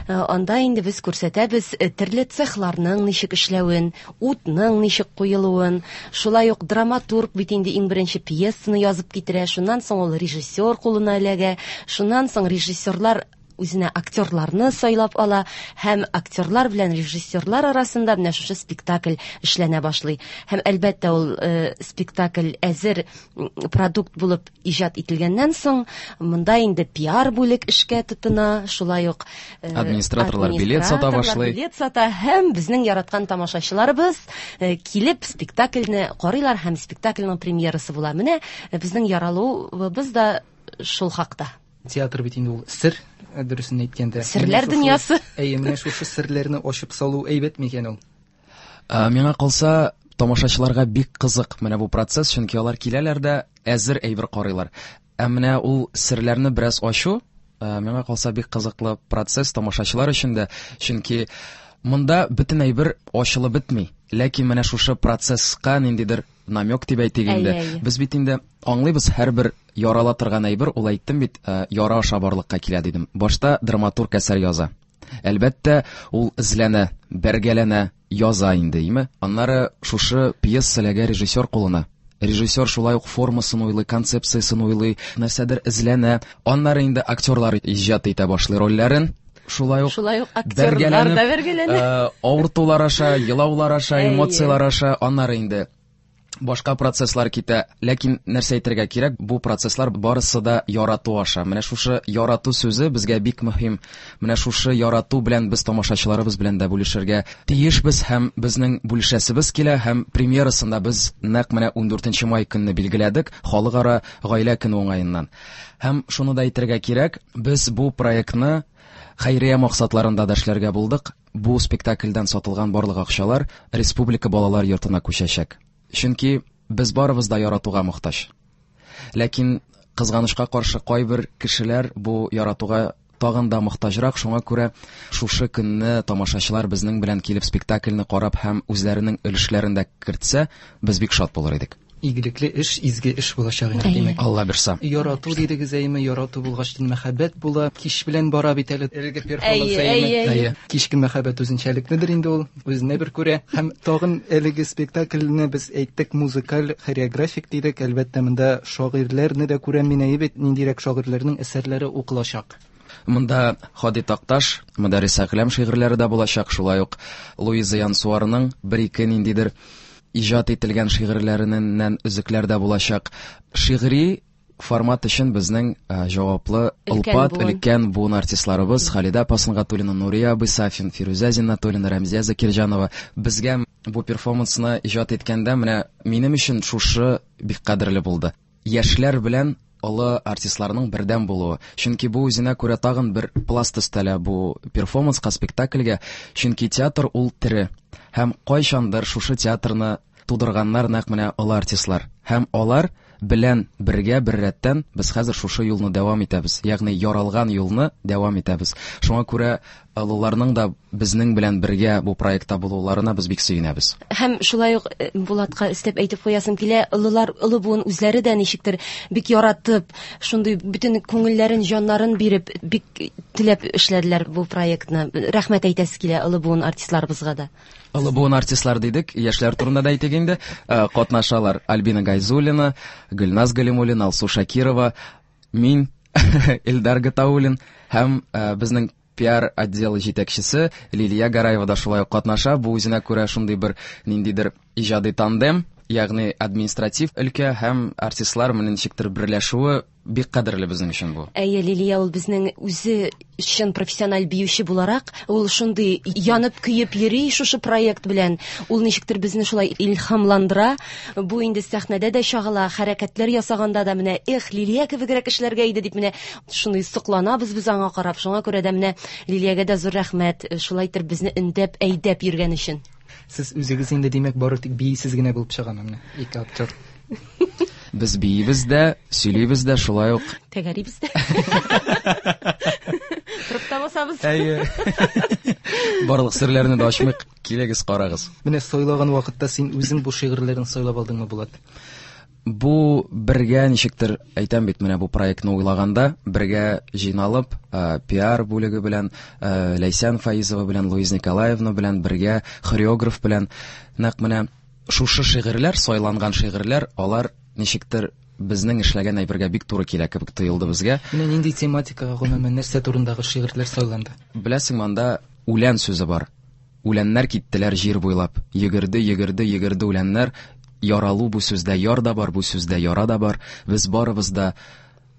анда инде без күрсәтәбез төрле цехларның ничек эшләвен, утның ничек куелуын, шулай ук драматург бит инде иң беренче пьесаны язып китерә, шуннан соң ул режиссер кулына эләгә, шуннан соң режиссерлар үзенә актерларны сайлап ала һәм актерлар белән режиссерлар арасында менә шушы спектакль эшләнә башлый. Һәм әлбәттә ул э, спектакль әзер продукт булып иҗат ителгәннән соң, монда инде пиар бүлек эшкә тотына, шулай ук э, администраторлар билет сата башлый. Билет сата һәм безнең яраткан тамашачыларыбыз э, килеп спектакльне карыйлар һәм спектакльнең премьерасы була. Менә безнең яралуыбыз да шул хакта. Театр бит инде ул сер, дөресен әйткәндә. Серләр дөньясы. Әйе, менә шушы серләрне ачып салу әйбәт микән ул? Миңа калса, тамашачыларга бик кызык менә бу процесс, чөнки алар киләләр дә әзер әйбер карыйлар. Ә менә ул серләрне бераз ачу, миңа калса бик кызыклы процесс тамашачылар өчен дә, чөнки монда бөтен әйбер ачылып бетми. Ләкин менә шушы процесска ниндидер намек дип әйтик инде. Без бит инде аңлыйбыз, һәрбер ярала торган әйбер, ул әйттем бит, яра аша барлыкка килә дидем. Башта драматург әсәр яза. Әлбәттә, ул эзләнә, бәргәләнә, яза инде, име? Аннары шушы пьеса эләгә режиссер кулына. Режиссер шулай ук формасын уйлый, концепциясын уйлый, нәрсәдер эзләнә. Аннары инде актерлар иҗат итә башлый рольләрен. Шулай ук, шулай ук актерлар да бәргәләнә. Авыртулар аша, елаулар аша, эмоциялар аша, аннары инде башка процесслар китә. Ләкин нәрсә әйтергә кирәк, бу процесслар барысы да ярату аша. Менә шушы ярату сүзе безгә бик мөһим. Менә шушы ярату белән без тамашачыларыбыз белән дә бүлешергә тиешбез һәм безнең бүлешәсебез килә. Һәм премьерасында без нәкъ менә ундүртенче май көнне билгеләдек, Халыкара гаилә көне уңаеннан. Һәм шуны да әйтергә кирәк, без бу проектны хәйрия максатларында да эшләргә булдык. Бу спектакльдән сатылган барлык акчалар Республика балалар йортына күчәчәк. Чөнки без барыбыз да яратуга мохтаҗ. Ләкин кызганычка каршы кайбер кешеләр бу яратуга тагын да мохтаҗрак. Шуңа күрә шушы көнне тамашачылар безнең белән килеп спектакльне карап һәм үзләренең өлешләрен дә кертсә, без бик шат булыр идек. Игелекле эш, изге эш булачак инде, димәк. Алла бирса. Ярату дидегез, әйме, ярату булгач мәхәббәт була. Кич белән бара бит әле әлеге перформанс, әйме. Кичке мәхәббәт үзенчәлекледер инде ул, үзенә бер күрә. Һәм тагын әлеге спектакльне без әйттек, музыкаль, хореографик дидек. Әлбәттә, монда шагыйрьләрне дә күрәм мин, әйе бит, ниндирәк шагыйрьләрнең әсәрләре укылачак. Монда Һади Такташ, Мөдәррис Әгъләм шигырьләре дә булачак, шулай ук Луиза Янсуарның бер-ике ниндидер иҗат ителгән шигырьләреннән өзекләр дә булачак. Шигъри формат өчен безнең җаваплы олпат өлкән буын артистларыбыз Халидә апа Сөнгатуллина, Нурия абый Сафин, Фирүзә Зиннатуллина, Рәмзия Закирҗанова. Безгә бу перформансны иҗат иткәндә менә минем өчен шушы бик кадерле булды. Яшьләр белән олы артистларның бердәм булуы. Чөнки бу үзенә күрә тагын бер пласт өстәлә бу перформанска, спектакльгә. Чөнки театр ул тере. Һәм кайчандыр шушы театрны тудырганнар нәкъ менә олы артистлар. Һәм алар белән бергә бер рәттән без хәзер шушы юлны дәвам итәбез. Ягъни яралган юлны дәвам итәбез. Шуңа күрә олыларның да безнең белән бергә бу проектта булуларына без бик сөенәбез. Һәм шулай ук Булатка өстәп әйтеп куясым килә, олылар, олы буын үзләре дә ничектер бик яратып, шундый бөтен күңелләрен, җаннарын биреп, бик теләп эшләделәр бу проектны. Рәхмәт әйтәсе килә олы буын артистларыбызга да. Олы буын артистлар дидек, яшьләр турында да әйтик инде. Катнашалар Альбина Гайзуллина, Гөлназ Галимуллина, Алсу Шакирова, мин, Илдар Гатауллин һәм безнең пиар отделы җитәкчесе Лилия Гараева да шулай ук катнаша. Бу үзенә күрә шундый бер ниндидер иҗади тандем, ягъни административ өлкә һәм артистлар менә ничектер берләшүе Бик кадерле безнең өчен бу. Әйе, Лилия ул безнең үзе чын профессиональ биюче буларак, ул шундый янып көеп йөри шушы проект белән. Ул ничектер безне шулай илһамландыра. Бу инде сәхнәдә дә чагыла, хәрәкәтләр ясаганда да менә эх, Лилия кебегрәк эшләргә иде дип менә шундый сокланабыз без аңа карап. Шуңа күрә дә менә Лилиягә дә зур рәхмәт, шулай итеп безне өндәп, әйдәп йөргән өчен. Сез үзегез инде димәк бары тик биисез генә булып чыгам менә ике актер. Без биибез дә, сөйлибез дә, шулай ук тәгәрибез дә. Торып та басабыз. Әйе. Барлык серләрне дә ачмыйк, килегез, карагыз. Менә сайлаган вакытта син үзең бу шигырьләрен сайлап алдыңмы, Булат? Бу бергә ничектер әйтәм бит, менә бу проектны уйлаганда бергә җыйналып, пиар бүлеге белән, Ләйсән Фаизова белән, Луиза Николаевна белән бергә, хореограф белән нәкъ менә шушы шигырьләр, сайланган шигырьләр, алар ничектер безнең эшләгән әйбергә бик туры килә кебек тоелды безгә. Менә нинди тематикага, гомумән, нәрсә турындагы шигырьләр сайланды? Беләсең, монда үлән сүзе бар. Үләннәр киттеләр җир буйлап. Йөгерде, йөгерде, йөгерде үләннәр. Яралу бу сүздә яр да бар, бу сүздә яра да бар. Без барыбыз да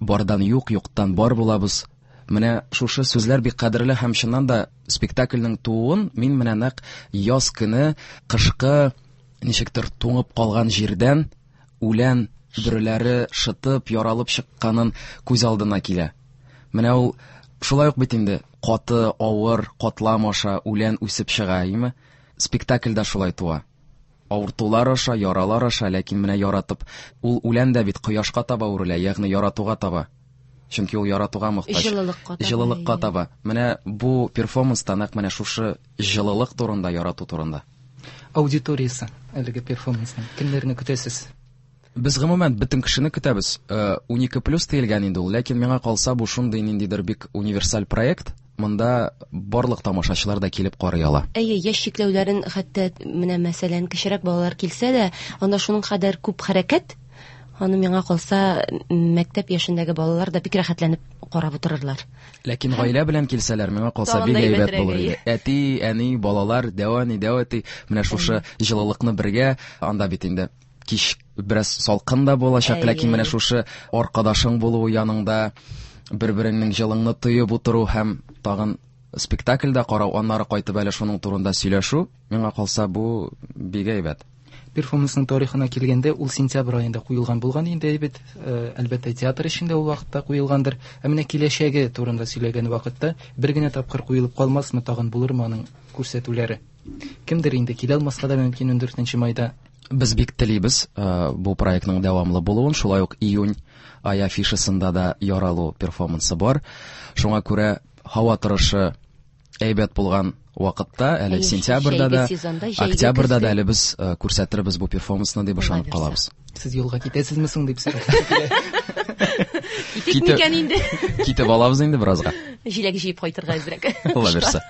бардан юк, юктан бар булабыз. Менә шушы сүзләр бик кадерле һәм чыннан да спектакльнең тууын мин менә нәкъ яз көне кышкы ничектер туңып калган җирдән үлән бөреләре шытып, яралып чыкканын күз алдына килә. Менә ул шулай ук бит инде каты, авыр катлам аша үлән үсеп чыга, әйеме? Спектакль дә шулай туа. Авыртулар аша, яралар аша, ләкин менә яратып, ул үлән дә бит кояшка таба үрелә, ягъни яратуга таба. Чөнки ул яратуга мохтаҗ. Җылылыкка таба. Җылылыкка таба. Менә бу перформанста нәкъ менә шушы җылылык турында, ярату турында. Аудиториясе әлеге перформансның кемнәрне көтәсез? Без гомумән бөтен кешене көтәбез. Унике плюс диелгән инде ул, ләкин миңа калса бу шундый ниндидер бик универсаль проект. Монда барлык тамашачылар да килеп карый ала. Әйе, яшь чикләүләрен хәтта менә мәсәлән кечерәк балалар килсә дә, анда шуның кадәр күп хәрәкәт, аны миңа калса мәктәп яшендәге балалар да бик рәхәтләнеп карап утырырлар. Ләкин гаилә белән килсәләр, миңа калса бик әйбәт булыр иде. Әти, әни, балалар, дәү әни, дәү әти, менә шушы җылылыкны бергә, анда бит инде кич бераз салкын да булачак, ләкин менә шушы аркадашың булуы яныңда, бер-береңнең җылыңны тоеп утыру һәм тагын спектакльдә карау, аннары кайтып әле шуның турында сөйләшү, миңа калса бу бик әйбәт. Перформансның тарихына килгәндә, ул сентябрь аенда куелган булган инде бит, әлбәттә театр эчендә ул вакытта куелгандыр. Ә менә киләчәге турында сөйләгән вакытта бер генә тапкыр куелып калмасмы, тагын булырмы аның күрсәтүләре? Кемдер инде килә алмаска да мөмкин ундүртенче майда. Без бик телибез бу проектның дәвамлы булуын, шулай ук июнь ай афишасында да яралу перформансы бар. Шуңа күрә һава торышы әйбәт булган вакытта, әле сентябрьдә дә, октябрьдә дә әле без күрсәтербез бу перформансны дип ышанып калабыз. Сез юлга китәсезме соң дип сорап. Китик микән инде? Китеп алабыз инде беразга. Җиләк җыеп кайтырга әзрәк. Алла бирсә.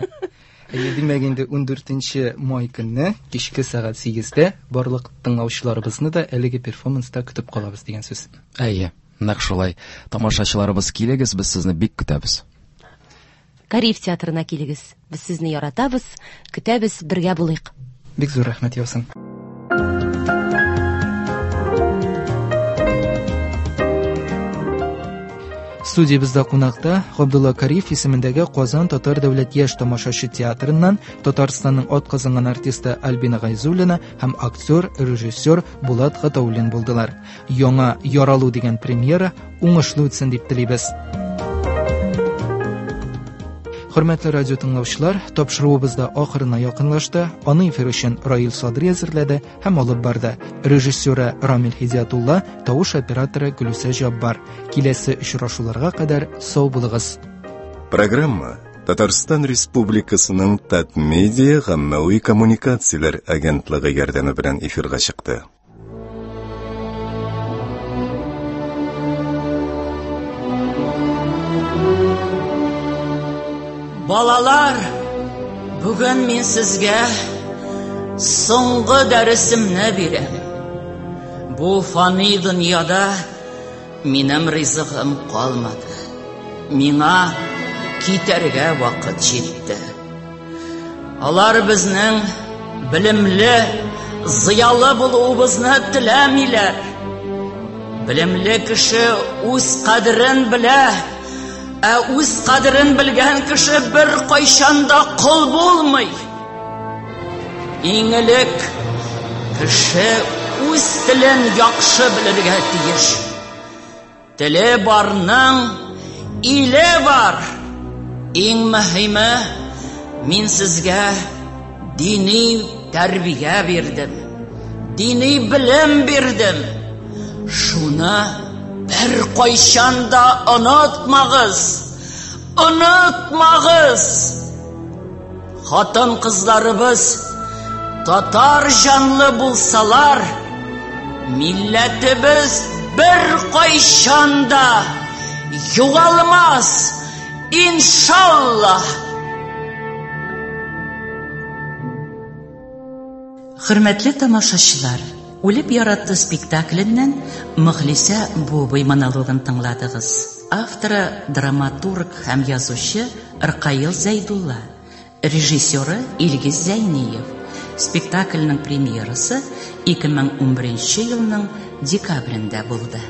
Димәк инде ундүртенче май көнне кичке сәгать сигездә барлык тыңлаучыларыбызны да әлеге перформанста көтеп калабыз дигән сүз. Әйе, нәкъ шулай. Тамашачыларыбыз, килегез, без сезне бик көтәбез. Кариев театрына килегез. Без сезне яратабыз, көтәбез, бергә булыйк. Бик зур рәхмәт яусын. Студиябездә кунакта Габдулла Кариев исемендәге Казан Татар дәүләт яшь тамашачы театрыннан Татарстанның атказанган артисты Альбина Гайзуллина һәм актер, режиссер Булат Гатауллин булдылар. Яңа Яралу дигән премьера уңышлы үтсен дип телибез. Хөрмәтле радио тыңлаучылар, тапшыруыбыз да ахырына якынлашты. Аны эфир өчен Раил Садри әзерләде һәм алып барды. Режиссеры Рамил Һидиятулла, тавыш операторы Гөлүсә Җаббар. Киләсе очрашуларга кадәр сау булыгыз. Программа Татарстан Республикасының Татмедиа гаммәви коммуникацияләр агентлыгы ярдәме белән эфирга чыкты. Балалар, бүген мин сезгә соңгы дәресемне бирәм. Бу фани дөньяда минем ризыгым калмады. Миңа китәргә вакыт җитте. Алар безнең белемле, зыялы булуыбызны теләмиләр. Белемле кеше үз кадерен белә, ә үз кадерен белгән кеше бер кайчан да кол булмый. Иң элек кеше үз телен яхшы белергә тиеш. Теле барның иле бар. Иң мөһиме, мин сезгә дини тәрбия бирдем, дини белем бирдем. Шуны бер кайчан да онытмагыз, онытмагыз. Хатын-кызларыбыз татар җанлы булсалар, милләтебез бер кайчан да югалмас, иншаллаһ. Хөрмәтле тамашачылар, Үлеп яратты спектакленнән Мөхлисә Бубый монологын тыңладыгыз. Авторы драматург һәм язучы Ркаил Зәйдулла, режиссеры Илгиз Зәйниев. Спектакльнең премьерасы ике мең унберенче елның декабрендә булды.